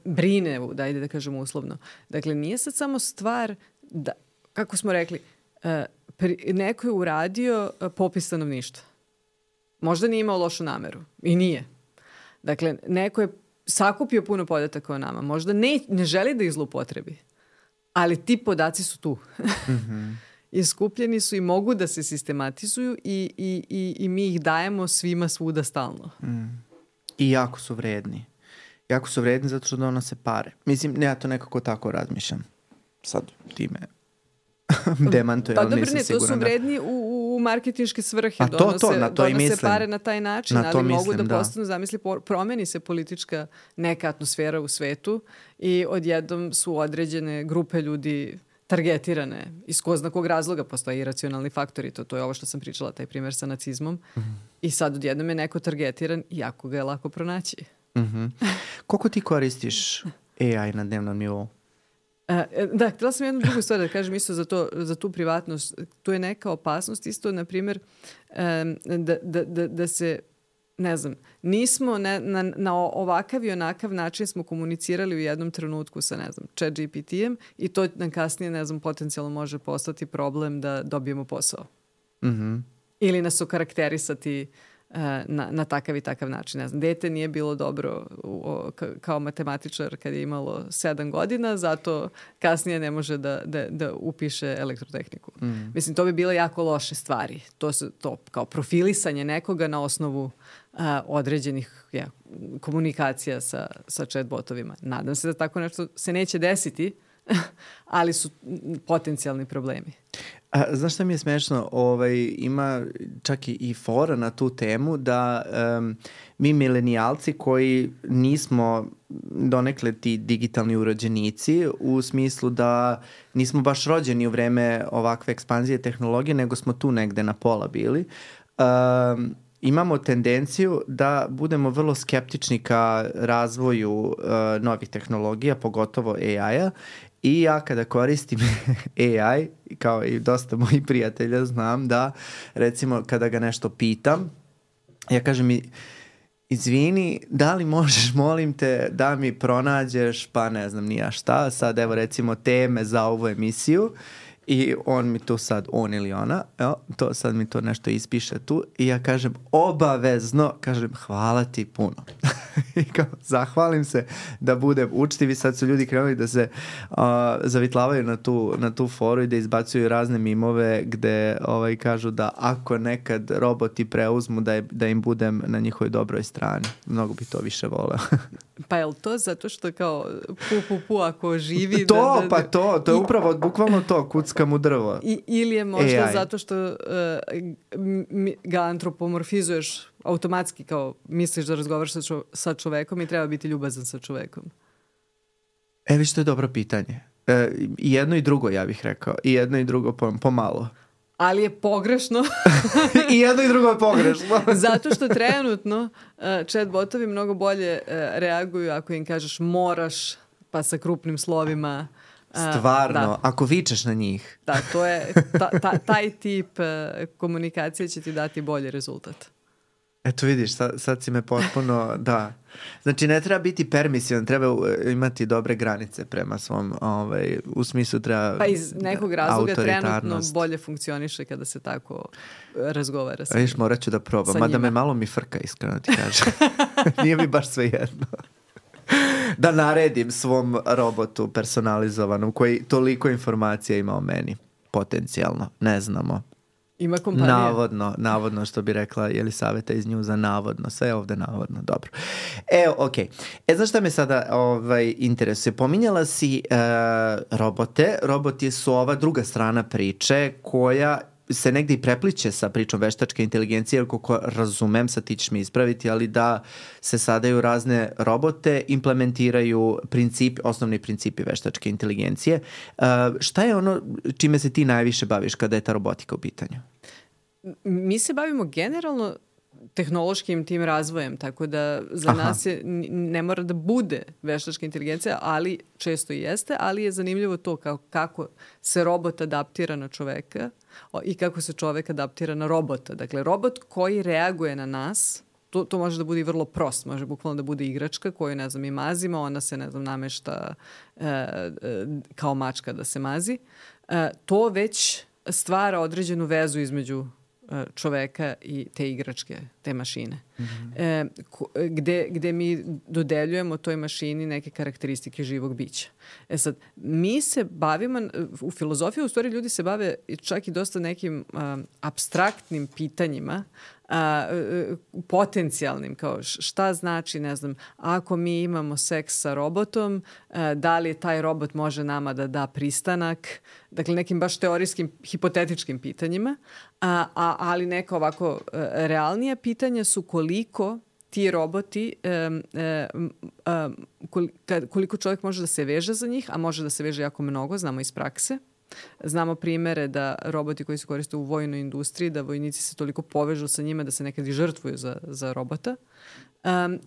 brine, dajde da kažem uslovno. Dakle, nije sad samo stvar da, kako smo rekli, neko je uradio popis stanovništva. Možda nije imao lošu nameru. I nije. Dakle, neko je sakupio puno podataka o nama. Možda ne želi da ih zloupotrebi. Ali ti podaci su tu. I skupljeni su i mogu da se sistematizuju i mi ih dajemo svima svuda stalno. I jako su vredni. Jako su vredni zato što donose pare. Mislim, ja to nekako tako razmišljam. Sad ti me demantuje, ali nisam siguran. To su vredni u marketinške svrhe. A donose pare na taj način, ali mogu da postanu, zamisli, promeni se politička neka atmosfera u svetu i odjednom su određene grupe ljudi targetirane. Iz ko zna kog razloga postoje iracionalni faktori. To je ovo što sam pričala, taj primjer sa nacizmom. I sad odjednom je neko targetiran i jako ga je lako pronaći. Koliko ti koristiš AI na dnevnom nivou? Da, htjela sam jednu drugu stvar da kažem isto za tu privatnost. Tu je neka opasnost isto, na primjer, da se, ne znam, nismo na ovakav i onakav način smo komunicirali u jednom trenutku sa, ne znam, Chat GPT-em i to nam kasnije, ne znam, potencijalno može postati problem da dobijemo posao. Ili nas okarakterisati na takav i takav način. Ne znam, dete nije bilo dobro kao matematičar kad je imalo 7 godina, zato kasnije ne može da upiše elektrotehniku. Mislim, to bi bile jako loše stvari. To kao profilisanje nekoga na osnovu određenih komunikacija sa chatbotovima. Nadam se da tako nešto se neće desiti, ali su potencijalni problemi. Znaš šta mi je smešno? Ima čak i fora na tu temu da mi milenijalci koji nismo donekle ti digitalni urođenici u smislu da nismo baš rođeni u vreme ovakve ekspanzije tehnologije, nego smo tu negde na pola bili, imamo tendenciju da budemo vrlo skeptični ka razvoju novih tehnologija, pogotovo AI-a. I ja kada koristim AI, kao i dosta mojih prijatelja, znam da, recimo, kada ga nešto pitam, ja kažem mi, izvini, da li možeš, molim te, da mi pronađeš, pa ne znam ni ja šta, sad evo recimo teme za ovu emisiju i on mi tu sad, on ili ona, to sad mi to nešto ispiše tu i ja kažem obavezno, kažem hvala ti puno. I kao, zahvalim se da budem učtiv i sad su ljudi krenuli da se zavitlavaju na tu foru i da izbacuju razne mimove gde kažu da ako nekad roboti preuzmu da im budem na njihovoj dobroj strani. Mnogo bi to više voleo. Pa je li to zato što kao pu ako živi? To je upravo bukvalno to, kuckam u drvo. Ili je možda AI. zato što ga antropomorfizuješ automatski, kao misliš da razgovaraš sa čovekom i treba biti ljubazan sa čovekom? Viš, to je dobro pitanje. I jedno i drugo, ja bih rekao. I jedno i drugo pomalo. Ali je pogrešno. I jedno i drugo je pogrešno. Zato što trenutno chatbotovi mnogo bolje reaguju ako im kažeš moraš, pa sa krupnim slovima. Stvarno, da. Ako vičeš na njih. Da, to je, taj tip komunikacije će ti dati bolji rezultat. Eto vidiš, sad si me potpuno, da. Znači ne treba biti permisivan, treba imati dobre granice prema svom, u smislu treba pa iz nekog razloga trenutno bolje funkcioniše kada se tako razgovara sa njim. Viš, morat ću da probam, mada me malo mi frka, iskreno ti kažem. Nije mi baš sve jedno. da naredim svom robotu personalizovanom koji toliko informacija ima o meni. Potencijalno, ne znamo. Ima kompanija. Navodno što bi rekla Jelisaveta iz Njuza, navodno. Sve je ovde navodno, dobro. Okej. Znaš šta me sada interesuje? Pominjala si robote. Roboti su ova druga strana priče koja se negdje i prepliče sa pričom veštačke inteligencije, jer koliko razumem, sad ti ćeš mi ispraviti, ali da se sada u razne robote implementiraju osnovni principi veštačke inteligencije. Šta je ono čime se ti najviše baviš kada je ta robotika u pitanju? Mi se bavimo generalno tehnološkim tim razvojem, tako da za nas ne mora da bude veštačka inteligencija, ali često i jeste, ali je zanimljivo to kako se robot adaptira na čoveka i kako se čovek adaptira na robota. Dakle, robot koji reaguje na nas, to može da bude i vrlo prost, može bukvalno da bude igračka koju, ne znam, i mazimo, ona se, ne znam, namešta kao mačka da se mazi. To već stvara određenu vezu između čoveka i te igračke, te mašine. Gde mi dodeljujemo toj mašini neke karakteristike živog bića. Sad, mi se bavimo, u filozofiji u stvari ljudi se bave čak i dosta nekim apstraktnim pitanjima, potencijalnim, kao šta znači, ne znam, ako mi imamo seks sa robotom, da li taj robot može nama da da pristanak, dakle nekim baš teorijskim, hipotetičkim pitanjima, ali neka ovako realnija pitanja su koliko ti roboti, koliko čovjek može da se veže za njih, a može da se veže jako mnogo, znamo iz prakse. Znamo primere da roboti koji se koriste u vojnoj industriji, da vojnici se toliko povežu sa njima da se nekad i žrtvuju za robota.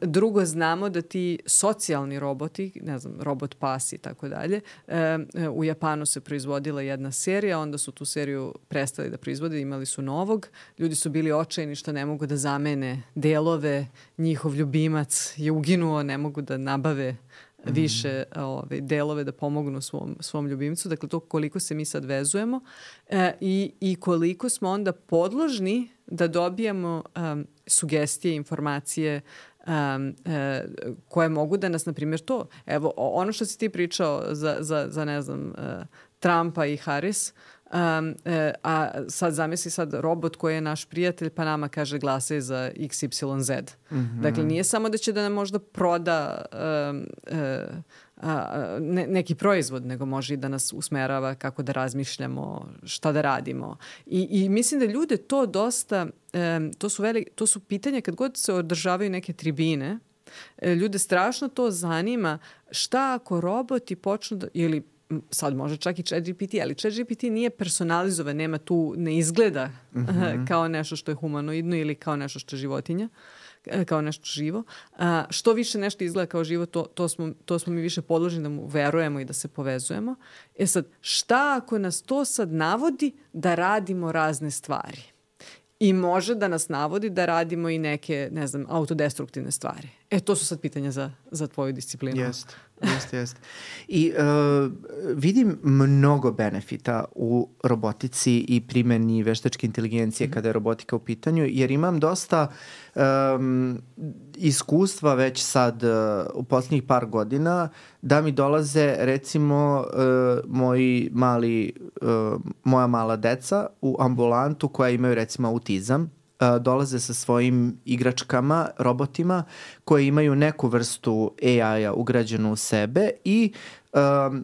Drugo, znamo da ti socijalni roboti, ne znam, robot pas i tako dalje, u Japanu se proizvodila jedna serija, onda su tu seriju prestali da proizvode, imali su novog. Ljudi su bili očajni što ne mogu da zamene delove, njihov ljubimac je uginuo, ne mogu da nabave više delove da pomognu svom ljubimcu. Dakle, to koliko se mi sad vezujemo i koliko smo onda podložni da dobijamo sugestije, informacije koje mogu da nas, na primjer, to. Evo, ono što si ti pričao za ne znam, Trumpa i Harris, a sad zamisli sad robot koji je naš prijatelj pa nama kaže glasaj za XYZ. Dakle, nije samo da će da nam možda proda neki proizvod, nego može i da nas usmerava kako da razmišljamo, šta da radimo. I mislim da ljude to dosta, to su pitanja kad god se održavaju neke tribine, ljude strašno to zanima šta ako roboti počnu da, ili sad može čak i ChatGPT, ali ChatGPT nije personalizovan, nema tu, ne izgleda kao nešto što je humanoidno ili kao nešto što je životinja, kao nešto živo. Što više nešto izgleda kao živo, to smo mi više podloženi da mu verujemo i da se povezujemo. Sad, šta ako nas to sad navodi da radimo razne stvari? I može da nas navodi da radimo i neke, ne znam, autodestruktivne stvari. To su sad pitanja za tvoju disciplinu. Jeste. I vidim mnogo benefita u robotici i primjeni veštačke inteligencije kada je robotika u pitanju, jer imam dosta iskustva već sad u posljednjih par godina da mi dolaze recimo moja mala deca u ambulantu koja imaju recimo autizam, dolaze sa svojim igračkama, robotima koji imaju neku vrstu AI-a ugrađenu u sebe i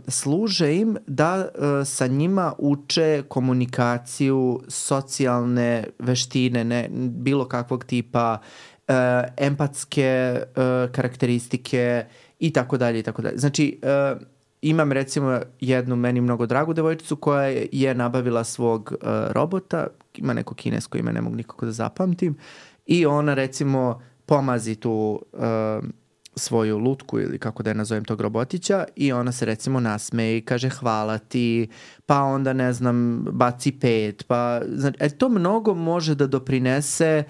služe im da sa njima uče komunikaciju, socijalne veštine, bilo kakvog tipa, empatske karakteristike i tako dalje. Znači, imam recimo jednu meni mnogo dragu devojčicu koja je nabavila svog robota, ima neko kinesko ime, ne mogu nikako da zapamtim, i ona recimo pomazi tu svoju lutku ili kako da je nazovem tog robotića i ona se recimo nasmeje i kaže hvala ti, pa onda ne znam baci 5, pa znači, to mnogo može da doprinese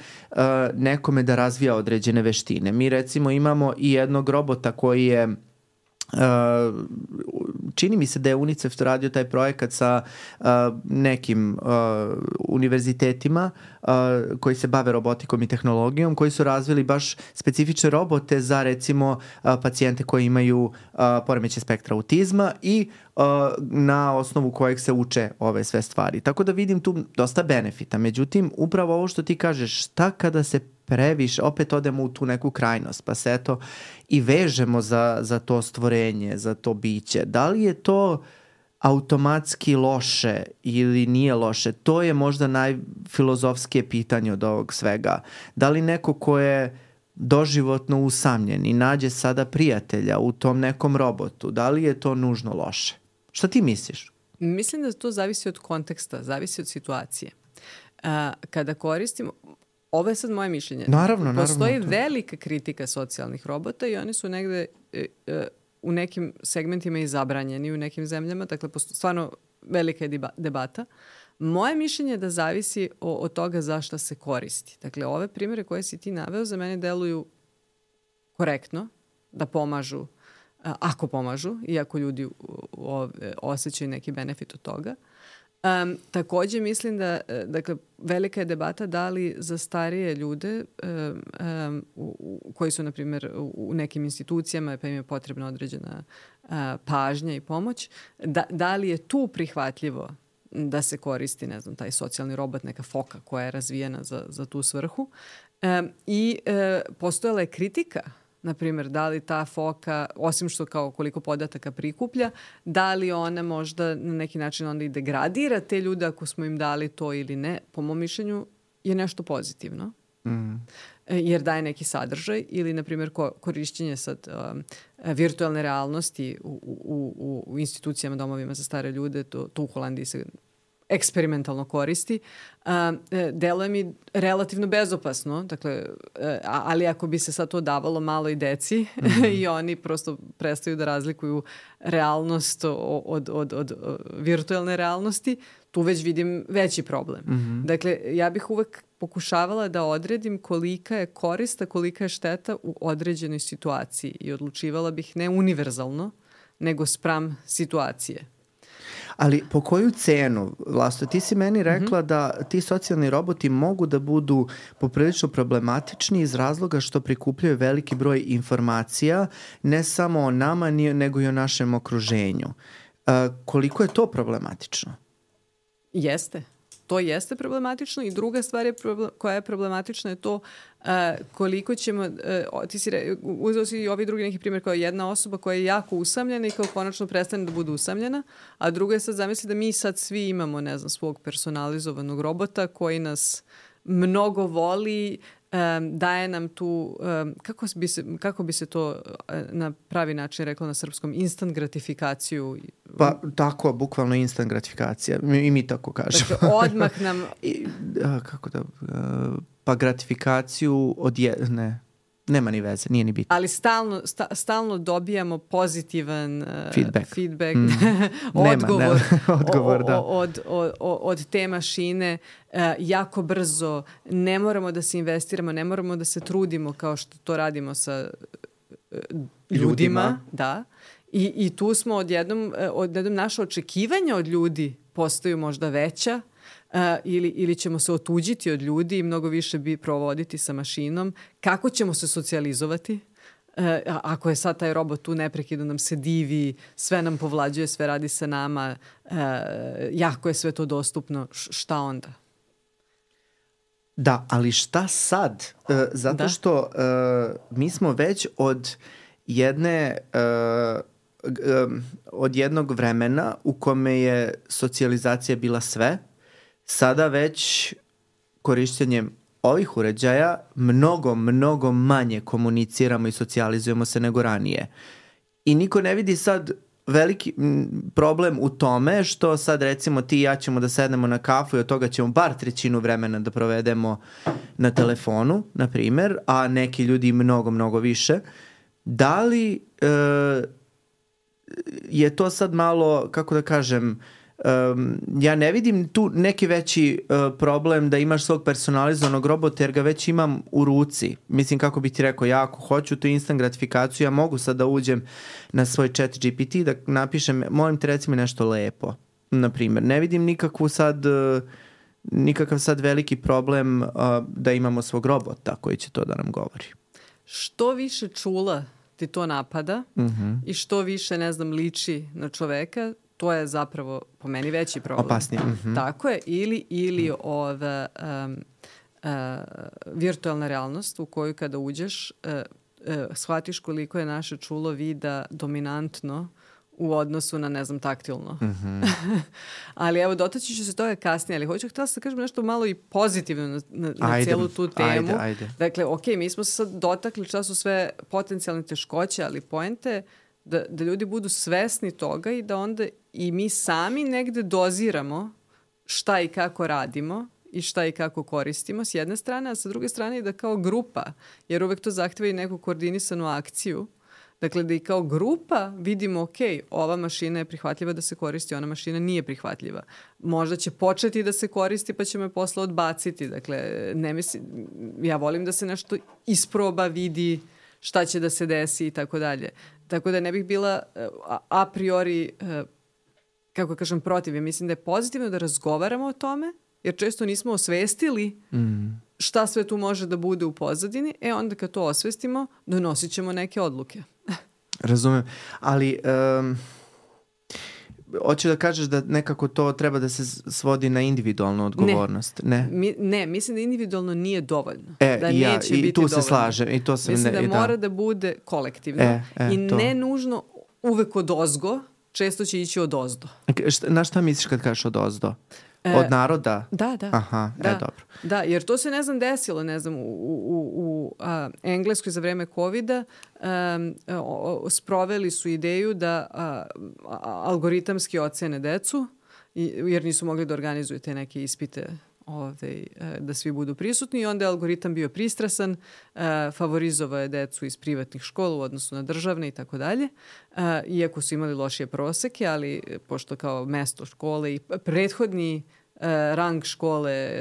nekome da razvija određene veštine. Mi recimo imamo i jednog robota koji je čini mi se da je UNICEF radio taj projekat sa nekim univerzitetima koji se bave robotikom i tehnologijom, koji su razvili baš specifične robote za recimo pacijente koji imaju poremećaj spektra autizma i na osnovu kojeg se uče ove sve stvari. Tako da vidim tu dosta benefita. Međutim, upravo ovo što ti kažeš, šta kada se previše, opet odemo u tu neku krajnost, pa se eto i vežemo za to stvorenje, za to biće. Da li je to automatski loše ili nije loše? To je možda najfilozofskije pitanje od ovog svega. Da li neko ko je doživotno usamljen i nađe sada prijatelja u tom nekom robotu, da li je to nužno loše? Šta ti misliš? Mislim da to zavisi od konteksta, zavisi od situacije. Kada koristimo, ovo je sad moje mišljenje. Naravno. Postoji velika kritika socijalnih robota i oni su negde u nekim segmentima i zabranjeni u nekim zemljama. Dakle, stvarno velika je debata. Moje mišljenje je da zavisi od toga za šta se koristi. Dakle, ove primjere koje si ti naveo za mene deluju korektno, da pomažu, ako pomažu, iako ljudi osjećaju neki benefit od toga. Takođe mislim da, dakle, velika je debata da li za starije ljude koji su, na primjer, u nekim institucijama pa im je potrebna određena pažnja i pomoć, da li je tu prihvatljivo da se koristi, ne znam, taj socijalni robot, neka foka koja je razvijena za tu svrhu. I postojala je kritika, na primjer, da li ta foka, osim što kao koliko podataka prikuplja, da li ona možda na neki način onda i degradira te ljude ako smo im dali to ili ne. Po mom mišljenju je nešto pozitivno. Jer daje neki sadržaj ili, na primjer, korišćenje sad virtualne realnosti u institucijama, domovima za stare ljude, to u Holandiji se eksperimentalno koristi, deluje mi relativno bezopasno, dakle, ali ako bi se sad to davalo malo i deci i oni prosto prestaju da razlikuju realnost od virtualne realnosti, tu već vidim veći problem. Dakle, ja bih uvek pokušavala da odredim kolika je korista, kolika je šteta u određenoj situaciji i odlučivala bih ne univerzalno, nego spram situacije. Ali po koju cenu, Vlasto, ti si meni rekla da ti socijalni roboti mogu da budu poprilično problematični iz razloga što prikupljaju veliki broj informacija, ne samo o nama, nego i o našem okruženju. Koliko je to problematično? Jeste. To jeste problematično i druga stvar koja je problematična je to koliko ćemo, uzeo si i ovi drugi neki primjer kao jedna osoba koja je jako usamljena i kao konačno prestane da bude usamljena, a druga je sad zamisli da mi sad svi imamo, ne znam, svog personalizovanog robota koji nas mnogo voli, daje nam tu, kako bi se to na pravi način reklo na srpskom, instant gratifikaciju. Pa tako, bukvalno instant gratifikacija. I mi tako kažemo. Dakle, odmah nam... pa gratifikaciju nema ni veze, nije ni bitno. Ali stalno dobijamo pozitivan feedback odgovor da. Od te mašine jako brzo. Ne moramo da se investiramo, ne moramo da se trudimo kao što to radimo sa ljudima. Da. I tu smo odjednom naše očekivanja od ljudi postaju možda veća, ili ćemo se otuđiti od ljudi i mnogo više bi provoditi sa mašinom. Kako ćemo se socijalizovati? Ako je sad taj robot tu neprekidno nam se divi, sve nam povlađuje, sve radi sa nama, jako je sve to dostupno, šta onda? Da, ali šta sad? Zato što mi smo već od jednog vremena u kome je socijalizacija bila sve, sada već korišćenjem ovih uređaja mnogo manje komuniciramo i socijalizujemo se nego ranije. I niko ne vidi sad veliki problem u tome što sad recimo ti i ja ćemo da sednemo na kafu i od toga ćemo bar 1/3 vremena da provedemo na telefonu, na primer, a neki ljudi mnogo više. Da li je to sad malo, kako da kažem, ja ne vidim tu neki veći problem da imaš svog personalizovanog robota jer ga već imam u ruci. Mislim, kako bi ti rekao, ja ako hoću tu instant gratifikaciju, ja mogu sad da uđem na svoj chat GPT da napišem, molim te reci mi nešto lepo, na primjer. Ne vidim nikakav sad veliki problem da imamo svog robota koji će to da nam govori. Što više čula ti to napada i što više, ne znam, liči na čoveka, to je zapravo po meni veći problem. Opasnije. Tako je. Ili ova virtualna realnost u koju kada uđeš shvatiš koliko je naše čulo vida dominantno u odnosu na, ne znam, taktilno. Ali evo, dotaći ću se toga kasnije, ali hoću htjela da kažem nešto malo i pozitivno na cijelu tu temu. Ajde. Dakle, mi smo se sad dotakli šta su sve potencijalne teškoće, ali poenta da ljudi budu svesni toga i da onda i mi sami negde doziramo šta i kako radimo i šta i kako koristimo s jedne strane, a sa druge strane i da kao grupa, jer uvek to zahteva i neku koordinisanu akciju, dakle da i kao grupa vidimo, ok, ova mašina je prihvatljiva da se koristi, ona mašina nije prihvatljiva. Možda će početi da se koristi pa ćemo je posle odbaciti. Dakle, ne mislim, ja volim da se nešto isproba, vidi šta će da se desi i tako dalje. Tako da ne bih bila a priori, kako kažem, protiv. Ja mislim da je pozitivno da razgovaramo o tome, jer često nismo osvestili šta sve tu može da bude u pozadini. Onda kad to osvestimo, donosit ćemo neke odluke. Razumem. Ali hoću da kažeš da nekako to treba da se svodi na individualnu odgovornost. Ne, mislim da individualno nije dovoljno. Da neće biti dovoljno. Se slažem. I to sam mislim da mora da bude kolektivno. I ne nužno uvek odozgo, često će ići odozdo. Na šta misliš kad kažeš odozdo? Od naroda? Da. Aha, dobro. Da, jer to se, ne znam, desilo, ne znam, u Engleskoj za vreme COVID-a sproveli su ideju da algoritamski ocene decu, jer nisu mogli da organizuju te neke ispite da svi budu prisutni i onda je algoritam bio pristrasan, favorizovao je decu iz privatnih škola u odnosu na državne i tako dalje, iako su imali lošije proseke, ali pošto kao mesto škole i prethodni rang škole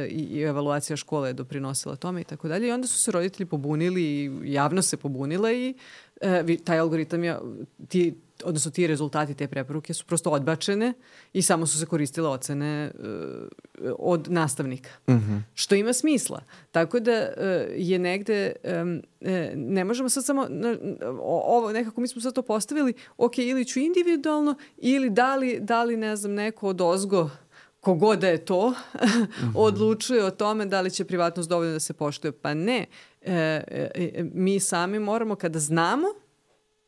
i evaluacija škole je doprinosila tome i tako dalje. I onda su se roditelji pobunili i javno se pobunila i taj algoritam je, odnosno ti rezultati te preporuke su prosto odbačene i samo su se koristile ocene od nastavnika. Što ima smisla. Tako da je negde, ne možemo sad samo, ovo nekako mi smo sad to postavili, ok, ili ću individualno, ili da li ne znam, neko odozgo kogod da je to, odlučuje o tome da li će privatnost dovoljno da se poštuje. Pa ne. Mi sami moramo, kada znamo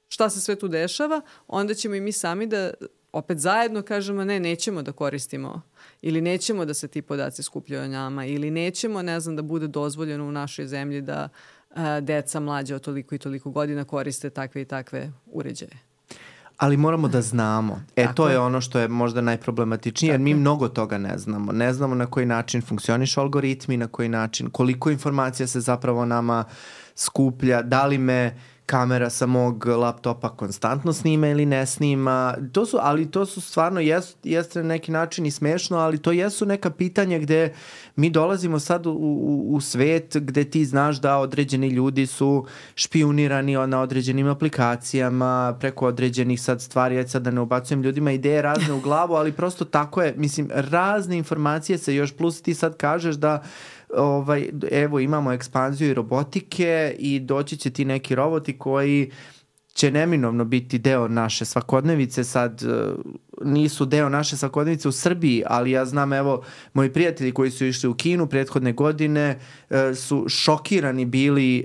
šta se sve tu dešava, onda ćemo i mi sami da opet zajedno kažemo nećemo da koristimo ili nećemo da se ti podaci skupljaju o nama ili nećemo, ne znam, da bude dozvoljeno u našoj zemlji da deca mlađe od toliko i toliko godina koriste takve i takve uređaje. Ali moramo da znamo. To je ono što je možda najproblematičnije, jer mi mnogo toga ne znamo. Ne znamo na koji način funkcionišu algoritmi, na koji način, koliko informacija se zapravo nama skuplja, da li me kamera sa mog laptopa konstantno snima ili ne snima. Ali to su stvarno, jeste na neki način i smešno, ali to jesu neka pitanja gde mi dolazimo sad u svet gde ti znaš da određeni ljudi su špijunirani na određenim aplikacijama, preko određenih sad stvari, sad da ne ubacujem ljudima ideje razne u glavu, ali prosto tako je, mislim, razne informacije se još, plus ti sad kažeš da evo imamo ekspanziju i robotike i doći će ti neki roboti koji će neminovno biti deo naše svakodnevice. Sad nisu deo naše svakodnevice u Srbiji, ali ja znam, evo, moji prijatelji koji su išli u Kinu prethodne godine su šokirani bili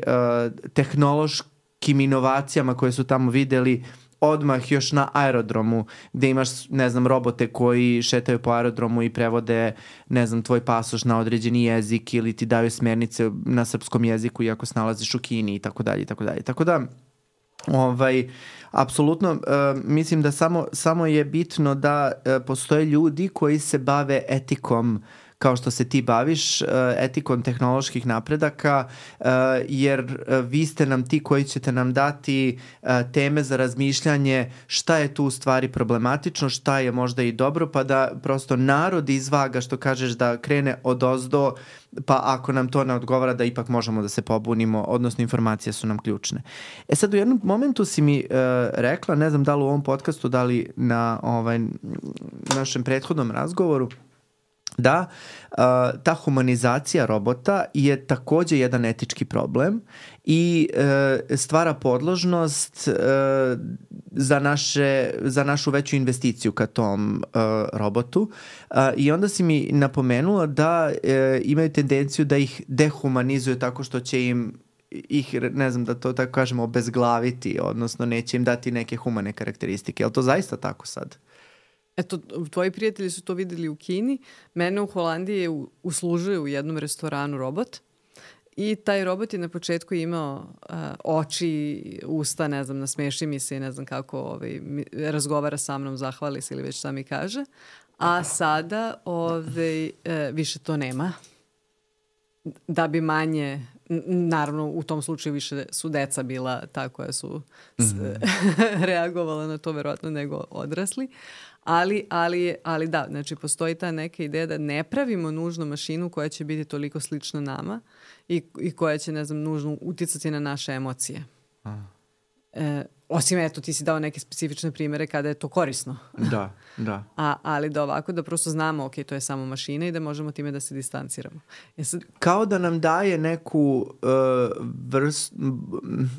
tehnološkim inovacijama koje su tamo videli odmah još na aerodromu, gde imaš, ne znam, robote koji šetaju po aerodromu i prevode, ne znam, tvoj pasoš na određeni jezik ili ti daju smjernice na srpskom jeziku iako se nalaziš u Kini i tako dalje i tako dalje. Tako da, apsolutno, mislim da samo je bitno da postoje ljudi koji se bave etikom kao što se ti baviš etikom tehnoloških napredaka, jer vi ste nam ti koji ćete nam dati teme za razmišljanje šta je tu u stvari problematično, šta je možda i dobro, pa da prosto narod izvaga, što kažeš, da krene odozdo, pa ako nam to ne odgovara da ipak možemo da se pobunimo, odnosno informacije su nam ključne. Sad u jednom momentu si mi rekla, ne znam da li u ovom podcastu, da li na našem prethodnom razgovoru, da ta humanizacija robota je takođe jedan etički problem i stvara podložnost za našu veću investiciju ka tom robotu. I onda si mi napomenula da imaju tendenciju da ih dehumanizuju tako što će ih, ne znam da to tako kažemo, obezglaviti, odnosno neće im dati neke humane karakteristike. Je li to zaista tako sad? Eto, tvoji prijatelji su to videli u Kini. Mene u Holandiji je uslužuje u jednom restoranu robot i taj robot je na početku imao oči, usta, ne znam, nasmeši mi se i ne znam kako razgovara sa mnom, zahvali se ili već šta mi kaže. A sada više to nema. Da bi manje... Naravno, u tom slučaju više su deca bila ta koja su reagovala na to verovatno nego odrasli. Ali da, znači postoji ta neka ideja da ne pravimo nužno mašinu koja će biti toliko slična nama i koja će, ne znam, nužno uticati na naše emocije. Osim, eto, ti si dao neke specifične primere kada je to korisno. Da. Ali da ovako, da prosto znamo, ok, to je samo mašina i da možemo time da se distanciramo. Kao da nam daje neku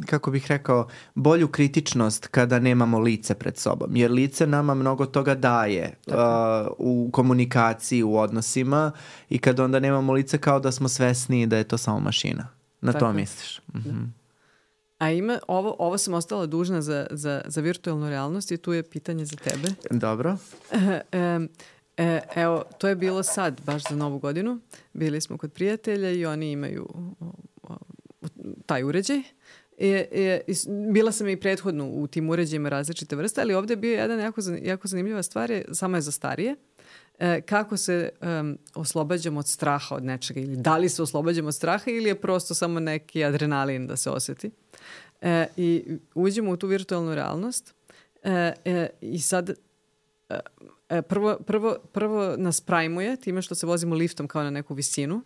kako bih rekao, bolju kritičnost kada nemamo lice pred sobom. Jer lice nama mnogo toga daje u komunikaciji, u odnosima i kada onda nemamo lice, kao da smo svesni da je to samo mašina. Na to misliš? A ovo sam ostala dužna za virtualnu realnost i tu je pitanje za tebe. Dobro. Evo, to je bilo sad, baš za Novu godinu. Bili smo kod prijatelja i oni imaju taj uređaj. Bila sam i prethodno u tim uređajima različite vrste, ali ovdje je bio jedan jako zanimljiva stvar, samo je za starije. Kako se oslobađamo od straha od nečega ili da li se oslobađamo od straha ili je prosto samo neki adrenalin da se osjeti. I uđemo u tu virtualnu realnost i sad prvo nas prajmuje time što se vozimo liftom kao na neku visinu.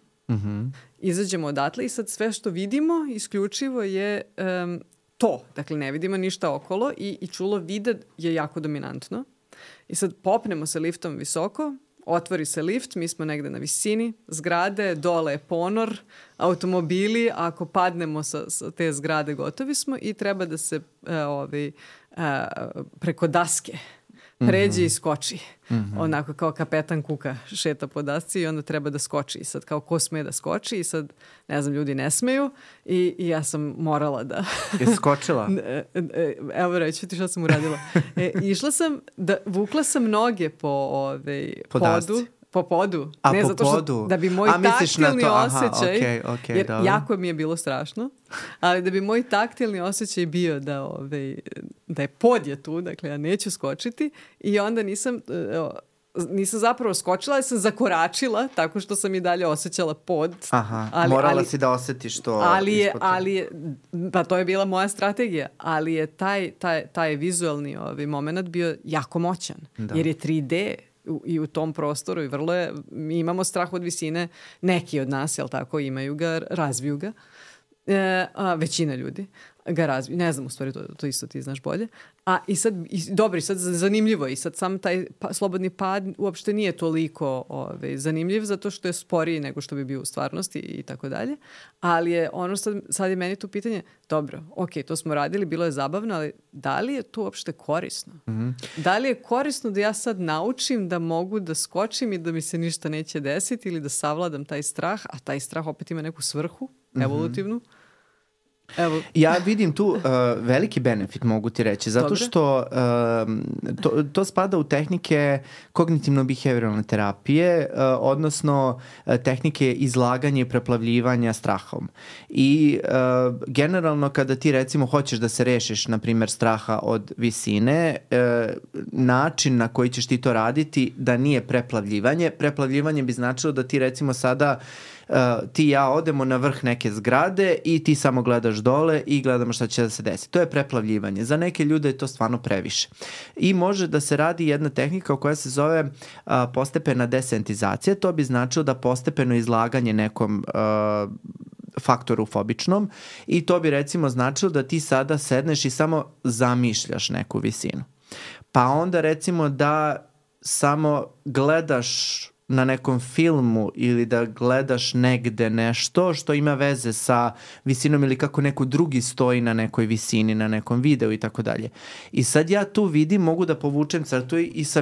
Izađemo odatle i sad sve što vidimo isključivo je to. Dakle, ne vidimo ništa okolo i čulo vide je jako dominantno. I sad popnemo se liftom visoko, otvori se lift, mi smo negde na visini zgrade, dole je ponor, automobili, ako padnemo sa te zgrade gotovi smo i treba da se preko daske pređe i skoči. Onako kao kapetan Kuka šeta po dasci i onda treba da skoči. I sad kao ko sme da skoči i sad, ne znam, ljudi ne smeju i ja sam morala da... Je skočila? Evo reći ti šta sam uradila. Išla sam, vukla sam noge po podu. Po podu. A ne, po zato što, podu? da bi moj taktilni osjećaj, jer dobro. jako mi je bilo strašno, ali da bi moj taktilni osjećaj bio da je pod je tu, dakle ja neću skočiti i onda nisam zapravo skočila, ja sam zakoračila tako što sam i dalje osjećala pod. Morala si da osjetiš to. Pa to je bila moja strategija, ali je taj vizualni moment bio jako moćan, jer je 3D i u tom prostoru i vrlo je, mi imamo strah od visine, neki od nas, jel tako, imaju ga, razviju ga, većina ljudi ga razviju, ne znam, u stvari to isto ti znaš bolje, sad zanimljivo je i sad sam taj slobodni pad uopšte nije toliko zanimljiv zato što je sporiji nego što bi bio u stvarnosti i tako dalje, ali je ono sad je meni tu pitanje, dobro, ok, to smo radili, bilo je zabavno, ali da li je to uopšte korisno? Da li je korisno da ja sad naučim da mogu da skočim i da mi se ništa neće desiti ili da savladam taj strah, a taj strah opet ima neku svrhu evolutivnu? Evo. Ja vidim tu veliki benefit, mogu ti reći, zato Dobre. što to spada u tehnike kognitivno-behavioralne terapije, odnosno tehnike izlaganja i preplavljivanja strahom. I generalno kada ti recimo hoćeš da se rešiš, na primjer, straha od visine, način na koji ćeš ti to raditi da nije preplavljivanje. Preplavljivanje bi značilo da ti recimo sada ti i ja odemo na vrh neke zgrade i ti samo gledaš dole i gledamo šta će da se desi. To je preplavljivanje. Za neke ljude je to stvarno previše. I može da se radi jedna tehnika koja se zove postepena desentizacija. To bi značilo da postepeno izlaganje nekom faktoru fobičnom i to bi recimo značilo da ti sada sedneš i samo zamišljaš neku visinu. Pa onda recimo da samo gledaš na nekom filmu ili da gledaš negde nešto što ima veze sa visinom ili kako neko drugi stoji na nekoj visini, na nekom videu i tako dalje. I sad ja tu vidim, mogu da povučem crtu i sa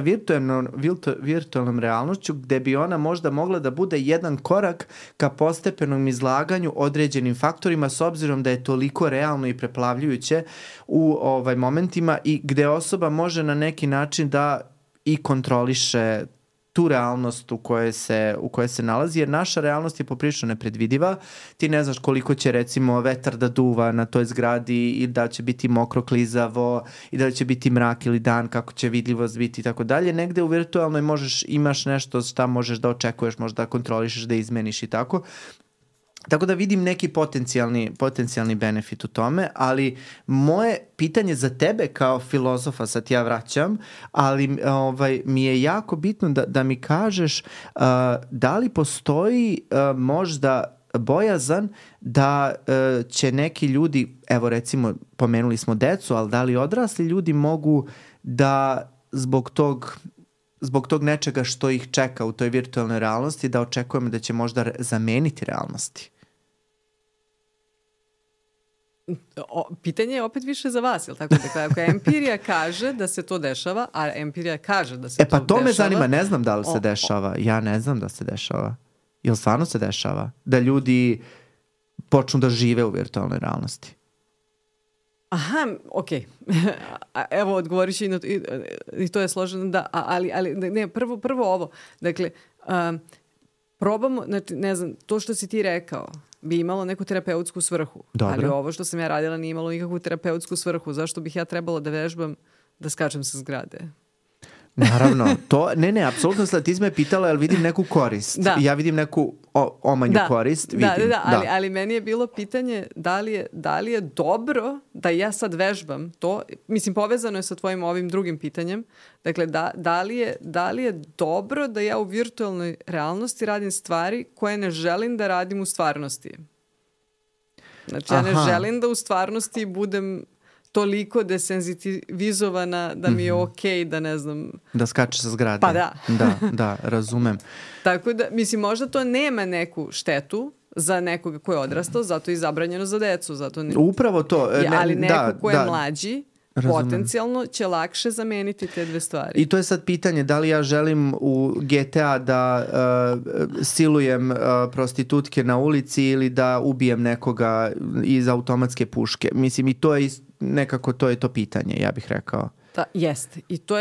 virtualnom realnošću gde bi ona možda mogla da bude jedan korak ka postepenom izlaganju određenim faktorima s obzirom da je toliko realno i preplavljujuće u momentima i gde osoba može na neki način da i kontroliše tu realnost u kojoj se nalazi, jer naša realnost je poprilično nepredvidiva. Ti ne znaš koliko će recimo vetar da duva na toj zgradi i da će biti mokro, klizavo i da će biti mrak ili dan, kako će vidljivost biti i tako dalje. Negde u virtualnoj imaš nešto šta možeš da očekuješ, možda da kontrolišeš, da izmeniš i tako. Tako da vidim neki potencijalni benefit u tome, ali moje pitanje za tebe kao filozofa, sad ja vraćam, ali mi je jako bitno da mi kažeš da li postoji možda bojazan da će neki ljudi, evo recimo pomenuli smo decu, ali da li odrasli ljudi mogu da zbog tog nečega što ih čeka u toj virtualnoj realnosti, da očekujemo da će možda zameniti realnosti? Pitanje je opet više za vas, jel tako? Dakle, ako empirija kaže da se to dešava, a empirija kaže da se to dešava... Pa to me zanima, ne znam da li se dešava. Ja ne znam da se dešava. Jel stvarno se dešava? Da ljudi počnu da žive u virtualnoj realnosti? Aha, okej. Evo, odgovorit ću i to je složeno, da, ali ne, prvo ovo. Dakle, probamo, znači, ne znam, to što si ti rekao bi imalo neku terapeutsku svrhu. Dobro. Ali ovo što sam ja radila nije imalo nikakvu terapeutsku svrhu. Zašto bih ja trebala da vežbam da skačem sa zgrade? Naravno, to, ne, apsolutno sad ti me pitala, jel vidim neku korist. Da. Ja vidim neku omanju korist. Vidim. Ali meni je bilo pitanje da li je dobro da ja sad vežbam to, mislim povezano je sa tvojim ovim drugim pitanjem, dakle da li je dobro da ja u virtualnoj realnosti radim stvari koje ne želim da radim u stvarnosti. Znači ja ne želim da u stvarnosti budem toliko desenzitivizovana da mi je okej da ne znam... Da skače sa zgrade. Pa da. Da, razumem. Tako da, mislim, možda to nema neku štetu za nekoga ko je odrastao, zato je zabranjeno za decu. Upravo to. Ali neko ko je mlađi, potencijalno će lakše zameniti te dve stvari. I to je sad pitanje da li ja želim u GTA da silujem prostitutke na ulici ili da ubijem nekoga iz automatske puške. Mislim, i to je nekako to je to pitanje, ja bih rekao. Jeste. I to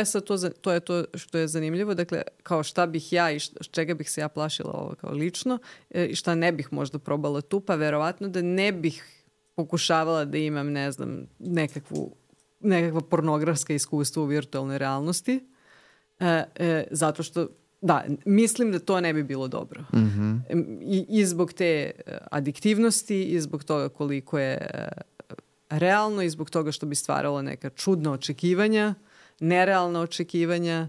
je to što je zanimljivo. Dakle, kao šta bih ja i čega bih se ja plašila ovo kao lično i šta ne bih možda probala tu, pa verovatno da ne bih pokušavala da imam, ne znam, nekakva pornografska iskustva u virtualnoj realnosti. Zato što, da, mislim da to ne bi bilo dobro. Mm-hmm. I zbog te adiktivnosti i zbog toga koliko je realno i zbog toga što bi stvaralo neka čudna očekivanja, nerealna očekivanja.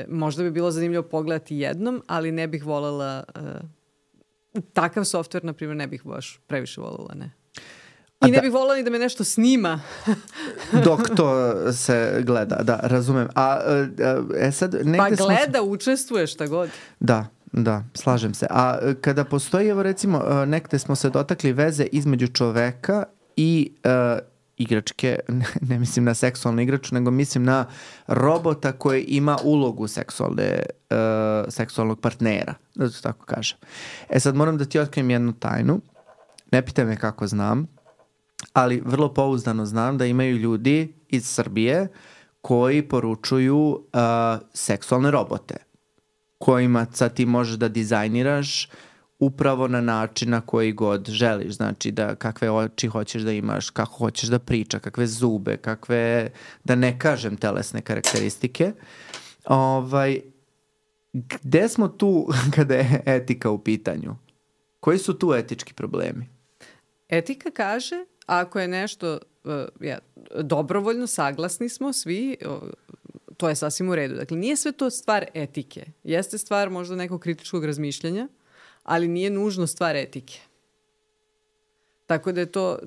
Možda bi bilo zanimljivo pogledati jednom, ali ne bih voljela takav softver, na primjer, ne bih baš previše voljela, ne. I ne bih voljela ni da me nešto snima. Dok to se gleda, da, razumem. Sad, pa gleda, učestvuje, šta god. Da, slažem se. A kada postoji, evo recimo, nekde smo se dotakli veze između čoveka i igračke, ne mislim na seksualnu igraču, nego mislim na robota koji ima ulogu seksualnog partnera, da to tako kažem. Sad moram da ti otkrijem jednu tajnu. Ne pitaj me kako znam, ali vrlo pouzdano znam da imaju ljudi iz Srbije koji poručuju seksualne robote, kojima sad ti možeš da dizajniraš upravo na način na koji god želiš. Znači da kakve oči hoćeš da imaš, kako hoćeš da priča, kakve zube, kakve, da ne kažem telesne karakteristike. Gde smo tu kada je etika u pitanju? Koji su tu etički problemi? Etika kaže, ako je nešto dobrovoljno, saglasni smo svi, to je sasvim u redu. Dakle, nije sve to stvar etike. Jeste stvar možda nekog kritičkog razmišljanja, ali nije nužno stvar etike. Tako da je to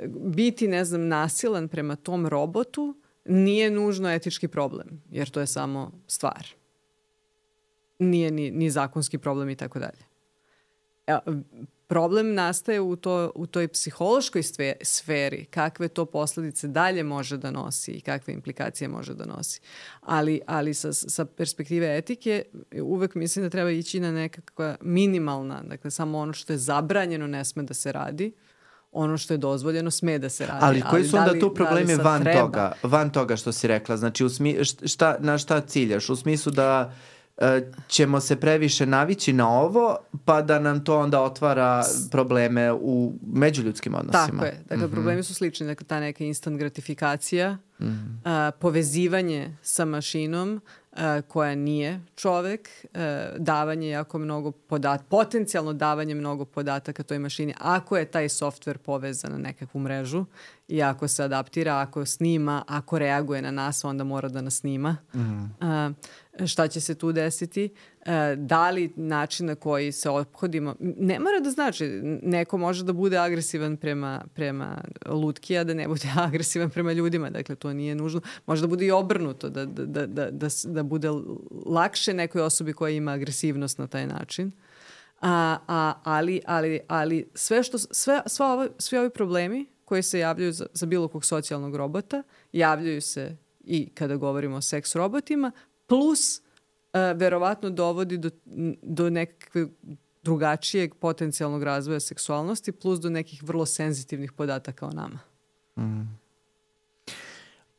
biti, nasilan prema tom robotu nije nužno etički problem, jer to je samo stvar. Nije ni zakonski problem i tako dalje. Problem nastaje u toj psihološkoj sferi, kakve to posledice dalje može da nosi i kakve implikacije može da nosi. Ali sa perspektive etike uvek mislim da treba ići na nekakva minimalna, dakle samo ono što je zabranjeno ne sme da se radi, ono što je dozvoljeno sme da se radi. Ali koji su onda tu problemi van toga što si rekla? Znači na šta ciljaš? U smislu da ćemo se previše navići na ovo, pa da nam to onda otvara probleme u međuljudskim odnosima. Tako je. Dakle, problemi su slični. Dakle, ta neka instant gratifikacija, povezivanje sa mašinom koja nije čovek, davanje jako mnogo potencijalno davanje mnogo podataka toj mašini. Ako je taj softver povezan na nekakvu mrežu i ako se adaptira, ako snima, ako reaguje na nas, onda mora da nas snima. Šta će se tu desiti? Da li način na koji se ophodimo, ne mora da znači, neko može da bude agresivan prema lutki, a da ne bude agresivan prema ljudima, dakle to nije nužno. Može da bude i obrnuto, da bude lakše nekoj osobi koja ima agresivnost na taj način. Ali svi ovi problemi koji se javljaju za bilo kog socijalnog robota, javljaju se i kada govorimo o seks robotima, plus verovatno dovodi do nekakve drugačijeg potencijalnog razvoja seksualnosti, plus do nekih vrlo senzitivnih podataka o nama.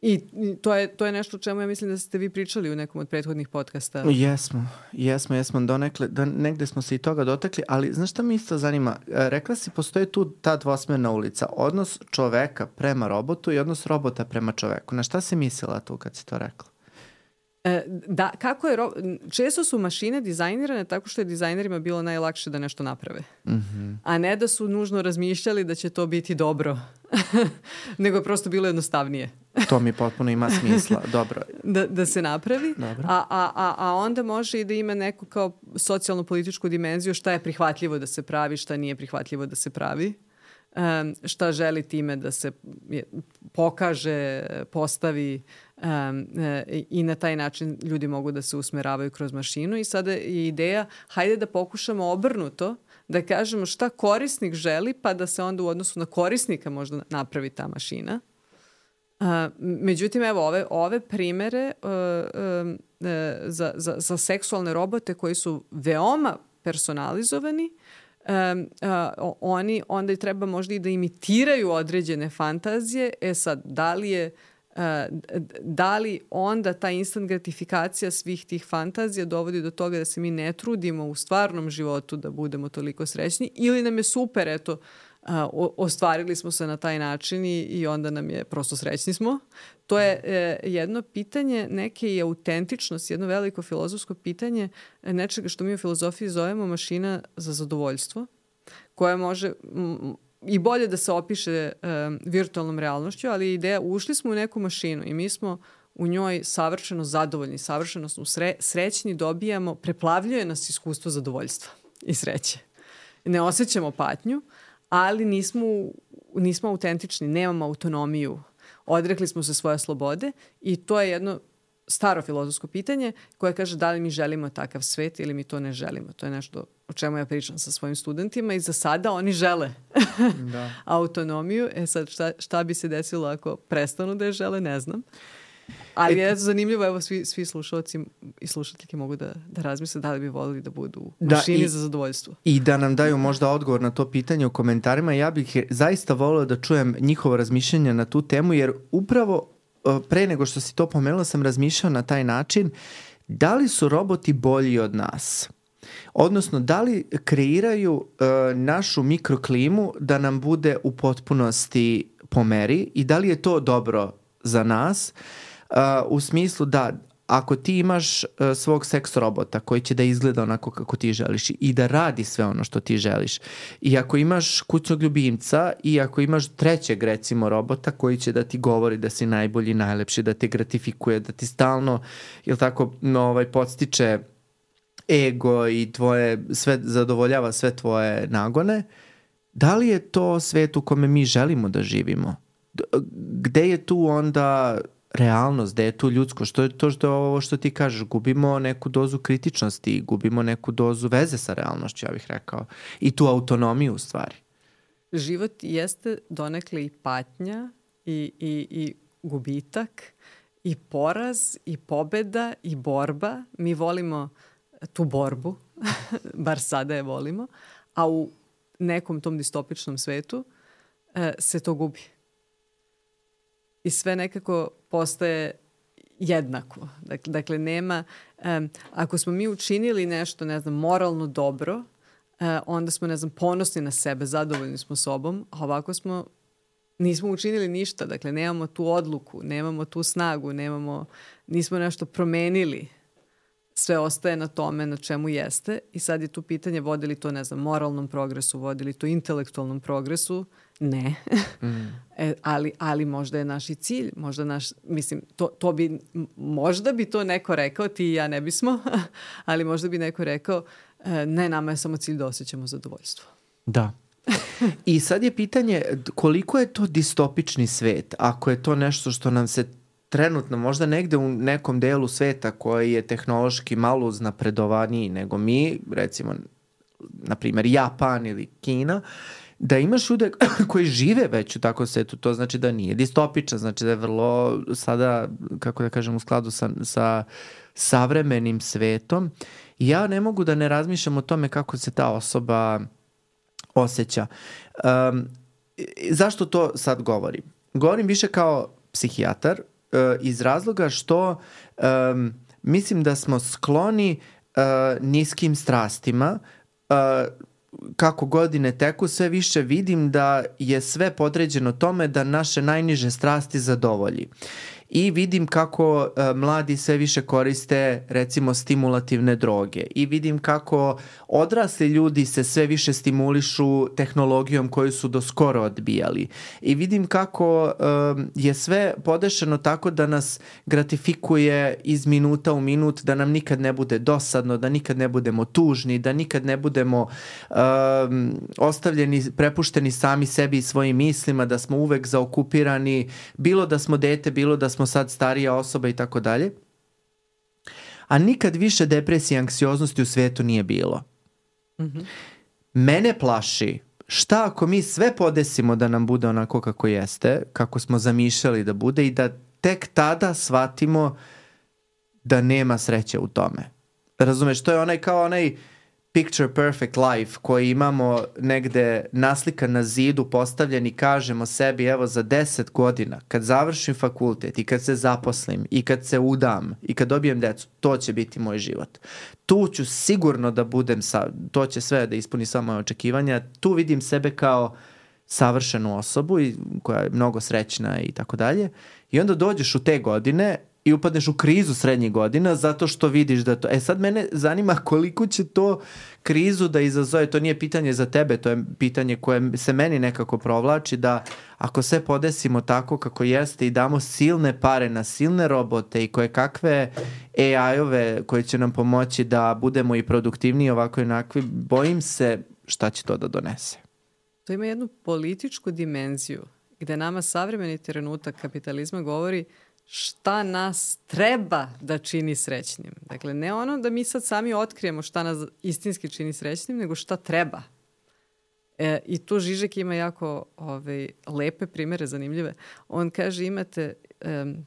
I to je nešto o čemu ja mislim da ste vi pričali u nekom od prethodnih podcasta. Jesmo. Negde smo se i toga dotakli, ali znaš šta mi isto zanima? Rekla si, postoji tu ta dvosmerna ulica. Odnos čoveka prema robotu i odnos robota prema čoveku. Na šta si mislila tu kad si to rekla? Da, često su mašine dizajnirane tako što je dizajnerima bilo najlakše da nešto naprave. A ne da su nužno razmišljali da će to biti dobro. Nego je prosto bilo jednostavnije. To mi potpuno ima smisla. Dobro. Da se napravi. A onda može i da ima neku kao socijalno-političku dimenziju šta je prihvatljivo da se pravi, šta nije prihvatljivo da se pravi. Šta želi time da se pokaže, postavi i na taj način ljudi mogu da se usmeravaju kroz mašinu. I sada je ideja, hajde da pokušamo obrnuto, da kažemo šta korisnik želi, pa da se onda u odnosu na korisnika možda napravi ta mašina. Međutim, evo, ove primere za seksualne robote koji su veoma personalizovani, oni onda i treba možda i da imitiraju određene fantazije. Sad, da li onda ta instant gratifikacija svih tih fantazija dovodi do toga da se mi ne trudimo u stvarnom životu da budemo toliko srećni, ili nam je super, eto, ostvarili smo se na taj način i onda nam je prosto srećni smo. To je jedno pitanje neke i autentičnosti, jedno veliko filozofsko pitanje nečega što mi u filozofiji zovemo mašina za zadovoljstvo, koja može i bolje da se opiše virtualnom realnošću, ali ideja, ušli smo u neku mašinu i mi smo u njoj savršeno zadovoljni, savršeno smo srećni, dobijamo, preplavljuje nas iskustvo zadovoljstva i sreće. Ne osjećamo patnju, ali nismo autentični, nemamo autonomiju, odrekli smo se svoje slobode i to je jedno staro filozofsko pitanje koje kaže da li mi želimo takav svet ili mi to ne želimo. To je nešto o čemu ja pričam sa svojim studentima i za sada oni žele autonomiju. Sad šta bi se desilo ako prestanu da je žele, ne znam. Ali je zanimljivo, evo svi slušalci i slušateljke mogu da razmisle da li bi volili da budu u mašini za zadovoljstvo. I da nam daju možda odgovor na to pitanje u komentarima. Ja bih zaista volio da čujem njihovo razmišljanje na tu temu, jer upravo pre nego što si to pomenula sam razmišljao na taj način, da li su roboti bolji od nas? Odnosno, da li kreiraju našu mikroklimu da nam bude u potpunosti po meri i da li je to dobro za nas? U smislu da ako ti imaš svog seks robota koji će da izgleda onako kako ti želiš i da radi sve ono što ti želiš, i ako imaš kućnog ljubimca i ako imaš trećeg recimo robota koji će da ti govori da si najbolji, najlepši, da te gratifikuje, da ti stalno podstiče ego i sve zadovoljava sve tvoje nagone, da li je to svet u kome mi želimo da živimo? Gde je tu onda realnost, gde je tu ljudsko? Što je ovo što ti kažeš? Gubimo neku dozu kritičnosti, gubimo neku dozu veze sa realnošću, ja bih rekao. I tu autonomiju u stvari. Život jeste donekle i patnja i gubitak i poraz i pobeda i borba. Mi volimo tu borbu, bar sada je volimo, a u nekom tom distopičnom svetu se to gubi. I sve nekako postaje jednako. Dakle, nema... ako smo mi učinili nešto, moralno dobro, onda smo, ponosni na sebe, zadovoljni smo sobom, a ovako nismo učinili ništa. Dakle, nemamo tu odluku, nemamo tu snagu, nismo nešto promenili. Sve ostaje na tome na čemu jeste i sad je tu pitanje vodi li to, moralnom progresu, vodi li to intelektualnom progresu? Ne. Ali možda je naš i cilj, možda bi to neko rekao, ti i ja ne bismo, ali možda bi neko rekao ne, nama je samo cilj da osjećamo zadovoljstvo. Da. I sad je pitanje koliko je to distopični svet, ako je to nešto što nam se trenutno, možda negde u nekom delu sveta koji je tehnološki malo uznapredovaniji nego mi, recimo, na primjer, Japan ili Kina, da imaš ljude koji žive već u takvom svetu, to znači da nije distopičan, znači da je vrlo sada, kako da kažem, u skladu sa savremenim svetom. I ja ne mogu da ne razmišljam o tome kako se ta osoba osjeća. Zašto to sad govorim? Govorim više kao psihijatar, iz razloga što mislim da smo skloni niskim strastima. Kako godine teku, sve više vidim da je sve podređeno tome da naše najniže strasti zadovolji. I vidim kako mladi sve više koriste recimo stimulativne droge i vidim kako odrasli ljudi se sve više stimulišu tehnologijom koju su do skoro odbijali i vidim kako je sve podešeno tako da nas gratifikuje iz minuta u minut, da nam nikad ne bude dosadno, da nikad ne budemo tužni, da nikad ne budemo ostavljeni, prepušteni sami sebi i svojim mislima, da smo uvek zaokupirani, bilo da smo dete, bilo da smo sad starija osoba i tako dalje. A nikad više depresije i anksioznosti u svijetu nije bilo. Mm-hmm. Mene plaši šta ako mi sve podesimo da nam bude onako kako jeste, kako smo zamišljali da bude i da tek tada shvatimo da nema sreće u tome. Razumeš, to je onaj picture perfect life koji imamo negde naslikan na zidu, postavljen i kažemo sebi evo za 10 godina kad završim fakultet i kad se zaposlim i kad se udam i kad dobijem decu, to će biti moj život. Tu ću sigurno da budem, to će sve da ispuni sva moje očekivanja, tu vidim sebe kao savršenu osobu koja je mnogo srećna i tako dalje. I onda dođeš u te godine i upadneš u krizu srednjih godina zato što vidiš da to... sad mene zanima koliko će to krizu da izazove. To nije pitanje za tebe, to je pitanje koje se meni nekako provlači, da ako sve podesimo tako kako jeste i damo silne pare na silne robote i koje kakve AI-ove koje će nam pomoći da budemo i produktivniji ovako i onakvi, bojim se šta će to da donese. To ima jednu političku dimenziju gde nama savremeni trenutak kapitalizma govori šta nas treba da čini srećnim. Dakle, ne ono da mi sad sami otkrijemo šta nas istinski čini srećnim, nego šta treba. I tu Žižek ima jako lepe primere, zanimljive. On kaže imate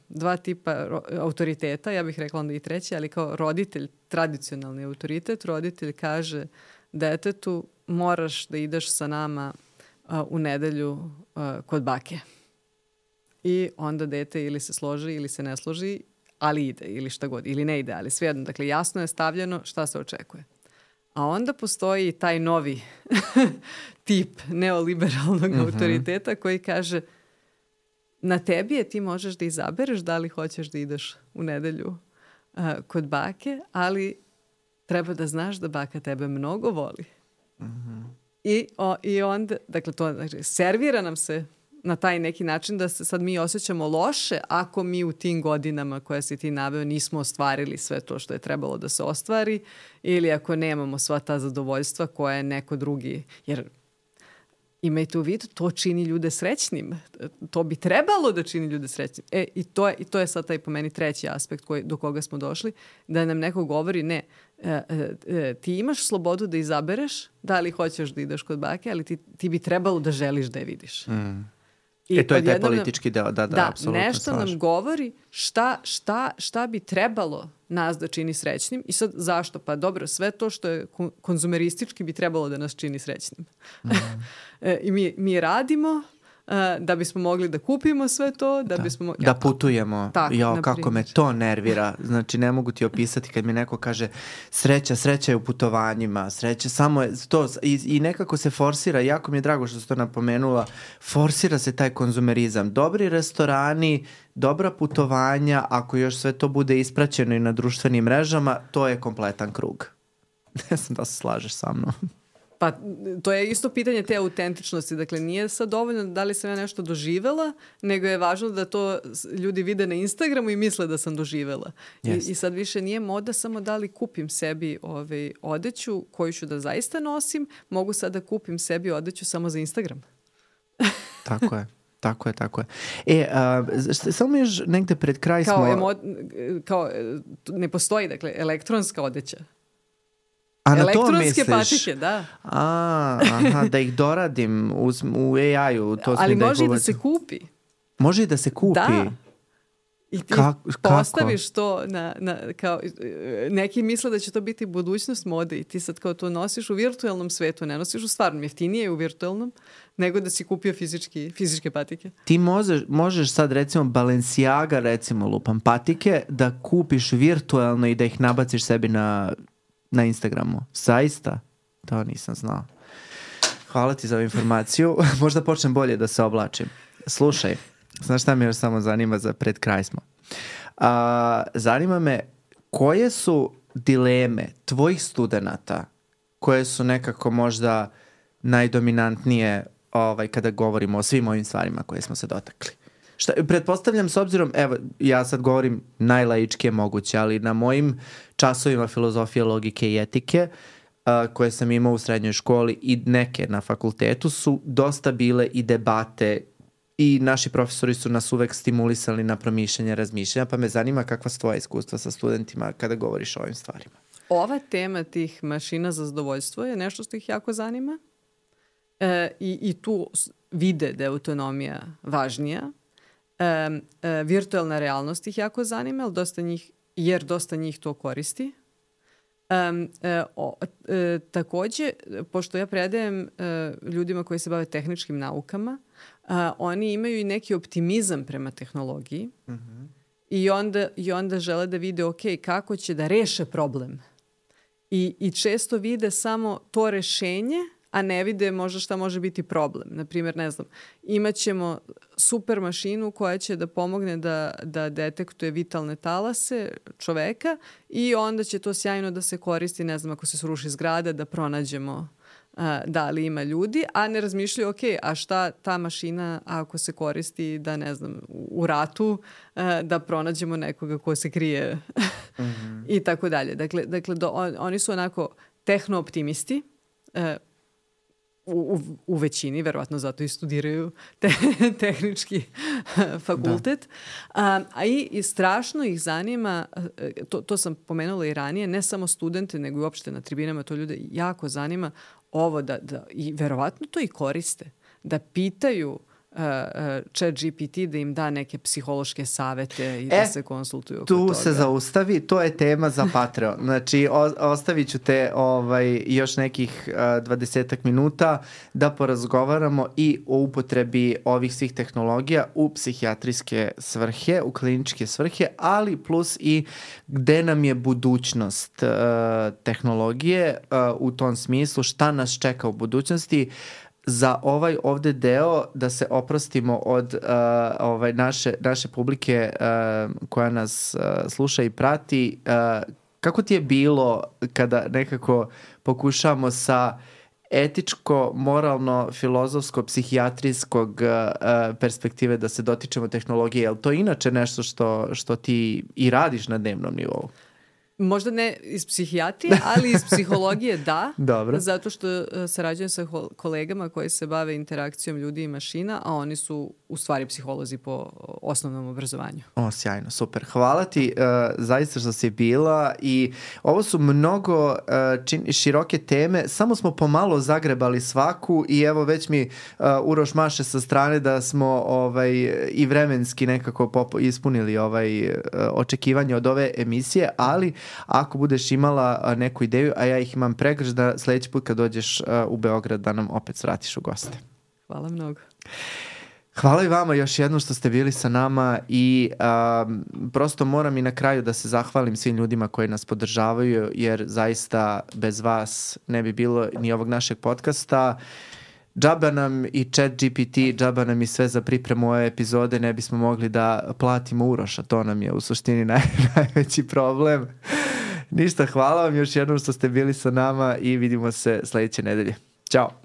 dva tipa autoriteta, ja bih rekla onda i treći, ali kao roditelj, tradicionalni autoritet, roditelj kaže detetu moraš da ideš sa nama u nedelju kod bake. I onda dete ili se složi ili se ne složi, ali ide ili šta god, ili ne ide, ali svejedno. Dakle, jasno je stavljeno šta se očekuje. A onda postoji taj novi tip neoliberalnog autoriteta koji kaže na tebi je, ti možeš da izabereš da li hoćeš da ideš u nedelju kod bake, ali treba da znaš da baka tebe mnogo voli. I onda, dakle, to servira nam se na taj neki način da se sad mi osjećamo loše ako mi u tim godinama koje si ti naveo nismo ostvarili sve to što je trebalo da se ostvari ili ako nemamo sva ta zadovoljstva koja je neko drugi. Jer imajte u vidu, to čini ljude srećnim. To bi trebalo da čini ljude srećnim. I to je sad taj po meni treći aspekt do koga smo došli, da nam neko govori ne, ti imaš slobodu da izabereš da li hoćeš da ideš kod bake, ali ti bi trebalo da želiš da je vidiš. To je taj politički deo, da, apsolutno nešto slažem. Nam govori šta bi trebalo nas da čini srećnim i sad zašto? Pa dobro, sve to što je konzumeristički bi trebalo da nas čini srećnim. I mi radimo da bismo mogli da kupimo sve to, da bismo... Da putujemo. Kako me to nervira. Znači, ne mogu ti opisati kad mi neko kaže sreća je u putovanjima, sreća samo je to. I nekako se forsira, jako mi je drago što si to napomenula, forsira se taj konzumerizam. Dobri restorani, dobra putovanja, ako još sve to bude ispraćeno i na društvenim mrežama, to je kompletan krug. Ne znam da se slažeš sa mnom. Pa to je isto pitanje te autentičnosti. Dakle, nije sad dovoljno da li sam ja nešto doživela, nego je važno da to ljudi vide na Instagramu i misle da sam doživela. I sad više nije moda samo da li kupim sebi odeću koju ću da zaista nosim, mogu sad da kupim sebi odeću samo za Instagram. Tako je. Samo još negde pred kraj smo... ne postoji, dakle, elektronska odeća. A na to elektronske patike, da. Da ih doradim u AI-u. Ali može i da se kupi. Može i da se kupi? Da. I ti postaviš to kao, neki misle da će to biti budućnost mode i ti sad kao to nosiš u virtualnom svetu, ne nosiš u stvarnom, jeftinije je u virtualnom nego da si kupio fizičke patike. Ti možeš sad recimo Balenciaga, recimo lupam patike, da kupiš virtualno i da ih nabaciš sebi na Instagramu. Zaista? To nisam znao. Hvala ti za ovu informaciju. Možda počnem bolje da se oblačim. Slušaj, znaš šta me još samo zanima za pred kraj smo. Zanima me koje su dileme tvojih studenata koje su nekako možda najdominantnije kada govorimo o svim ovim stvarima koje smo se dotakli. Pretpostavljam s obzirom, evo, ja sad govorim najlaičkije moguće, ali na mojim časovima filozofije, logike i etike koje sam imao u srednjoj školi i neke na fakultetu su dosta bile i debate i naši profesori su nas uvek stimulisali na promišljanje, razmišljanja, pa me zanima kakva su tvoja iskustva sa studentima kada govoriš o ovim stvarima. Ova tema tih mašina za zadovoljstvo je nešto što ih jako zanima i tu vide da je autonomija važnija. Virtualna realnost ih jako zanima, jer dosta njih to koristi. Takođe, pošto ja predajem ljudima koji se bave tehničkim naukama, oni imaju i neki optimizam prema tehnologiji i onda žele da vide kako će da reše problem. I često vide samo to rešenje, a ne vide možda šta može biti problem. Naprimjer, ne znam, imaćemo super mašinu koja će da pomogne da detektuje vitalne talase čoveka i onda će to sjajno da se koristi, ne znam, ako se sruši zgrada, da pronađemo da li ima ljudi, a ne razmišljaju, a šta ta mašina ako se koristi da, ne znam, u ratu, da pronađemo nekoga ko se krije i tako dalje. Dakle, oni su onako tehno-optimisti, u većini, verovatno zato i studiraju tehnički fakultet. I strašno ih zanima, to sam pomenula i ranije, ne samo studente, nego i uopšte na tribinama to ljude jako zanima, ovo i verovatno to i koriste, da pitaju ChatGPT da im da neke psihološke savete i da se konsultuju oko toga. Tu se zaustavi, to je tema za Patreon. Znači, ostavit ću te još nekih 20 minuta da porazgovaramo i o upotrebi ovih svih tehnologija u psihijatrijske svrhe, u kliničke svrhe, ali plus i gde nam je budućnost tehnologije u tom smislu, šta nas čeka u budućnosti. Za ovaj ovde deo da se oprostimo od naše publike koja nas sluša i prati, kako ti je bilo kada nekako pokušamo sa etičko, moralno, filozofsko, psihijatrijskog perspektive da se dotičemo tehnologije? Je li to inače nešto što ti i radiš na dnevnom nivou? Možda ne iz psihijatrije, ali iz psihologije da. Dobro. Zato što sarađujem sa kolegama koji se bave interakcijom ljudi i mašina, a oni su u stvari psiholozi po osnovnom obrazovanju. Sjajno, super. Hvala ti zaista što si bila i ovo su mnogo široke teme, samo smo pomalo zagrebali svaku i evo već mi Uroš maše sa strane da smo i vremenski nekako ispunili očekivanje od ove emisije, ali ako budeš imala neku ideju, a ja ih imam pregrš, da sledeći put kad dođeš u Beograd da nam opet svratiš u goste. Hvala mnogo. Hvala i vama još jednom što ste bili sa nama i prosto moram i na kraju da se zahvalim svim ljudima koji nas podržavaju, jer zaista bez vas ne bi bilo ni ovog našeg podcasta. Džaba nam i ChatGPT, džaba nam i sve za pripremu ove epizode, ne bismo mogli da platimo Uroša, to nam je u suštini najveći problem. Ništa, hvala vam još jednom što ste bili sa nama i vidimo se sledeće nedelje. Ćao!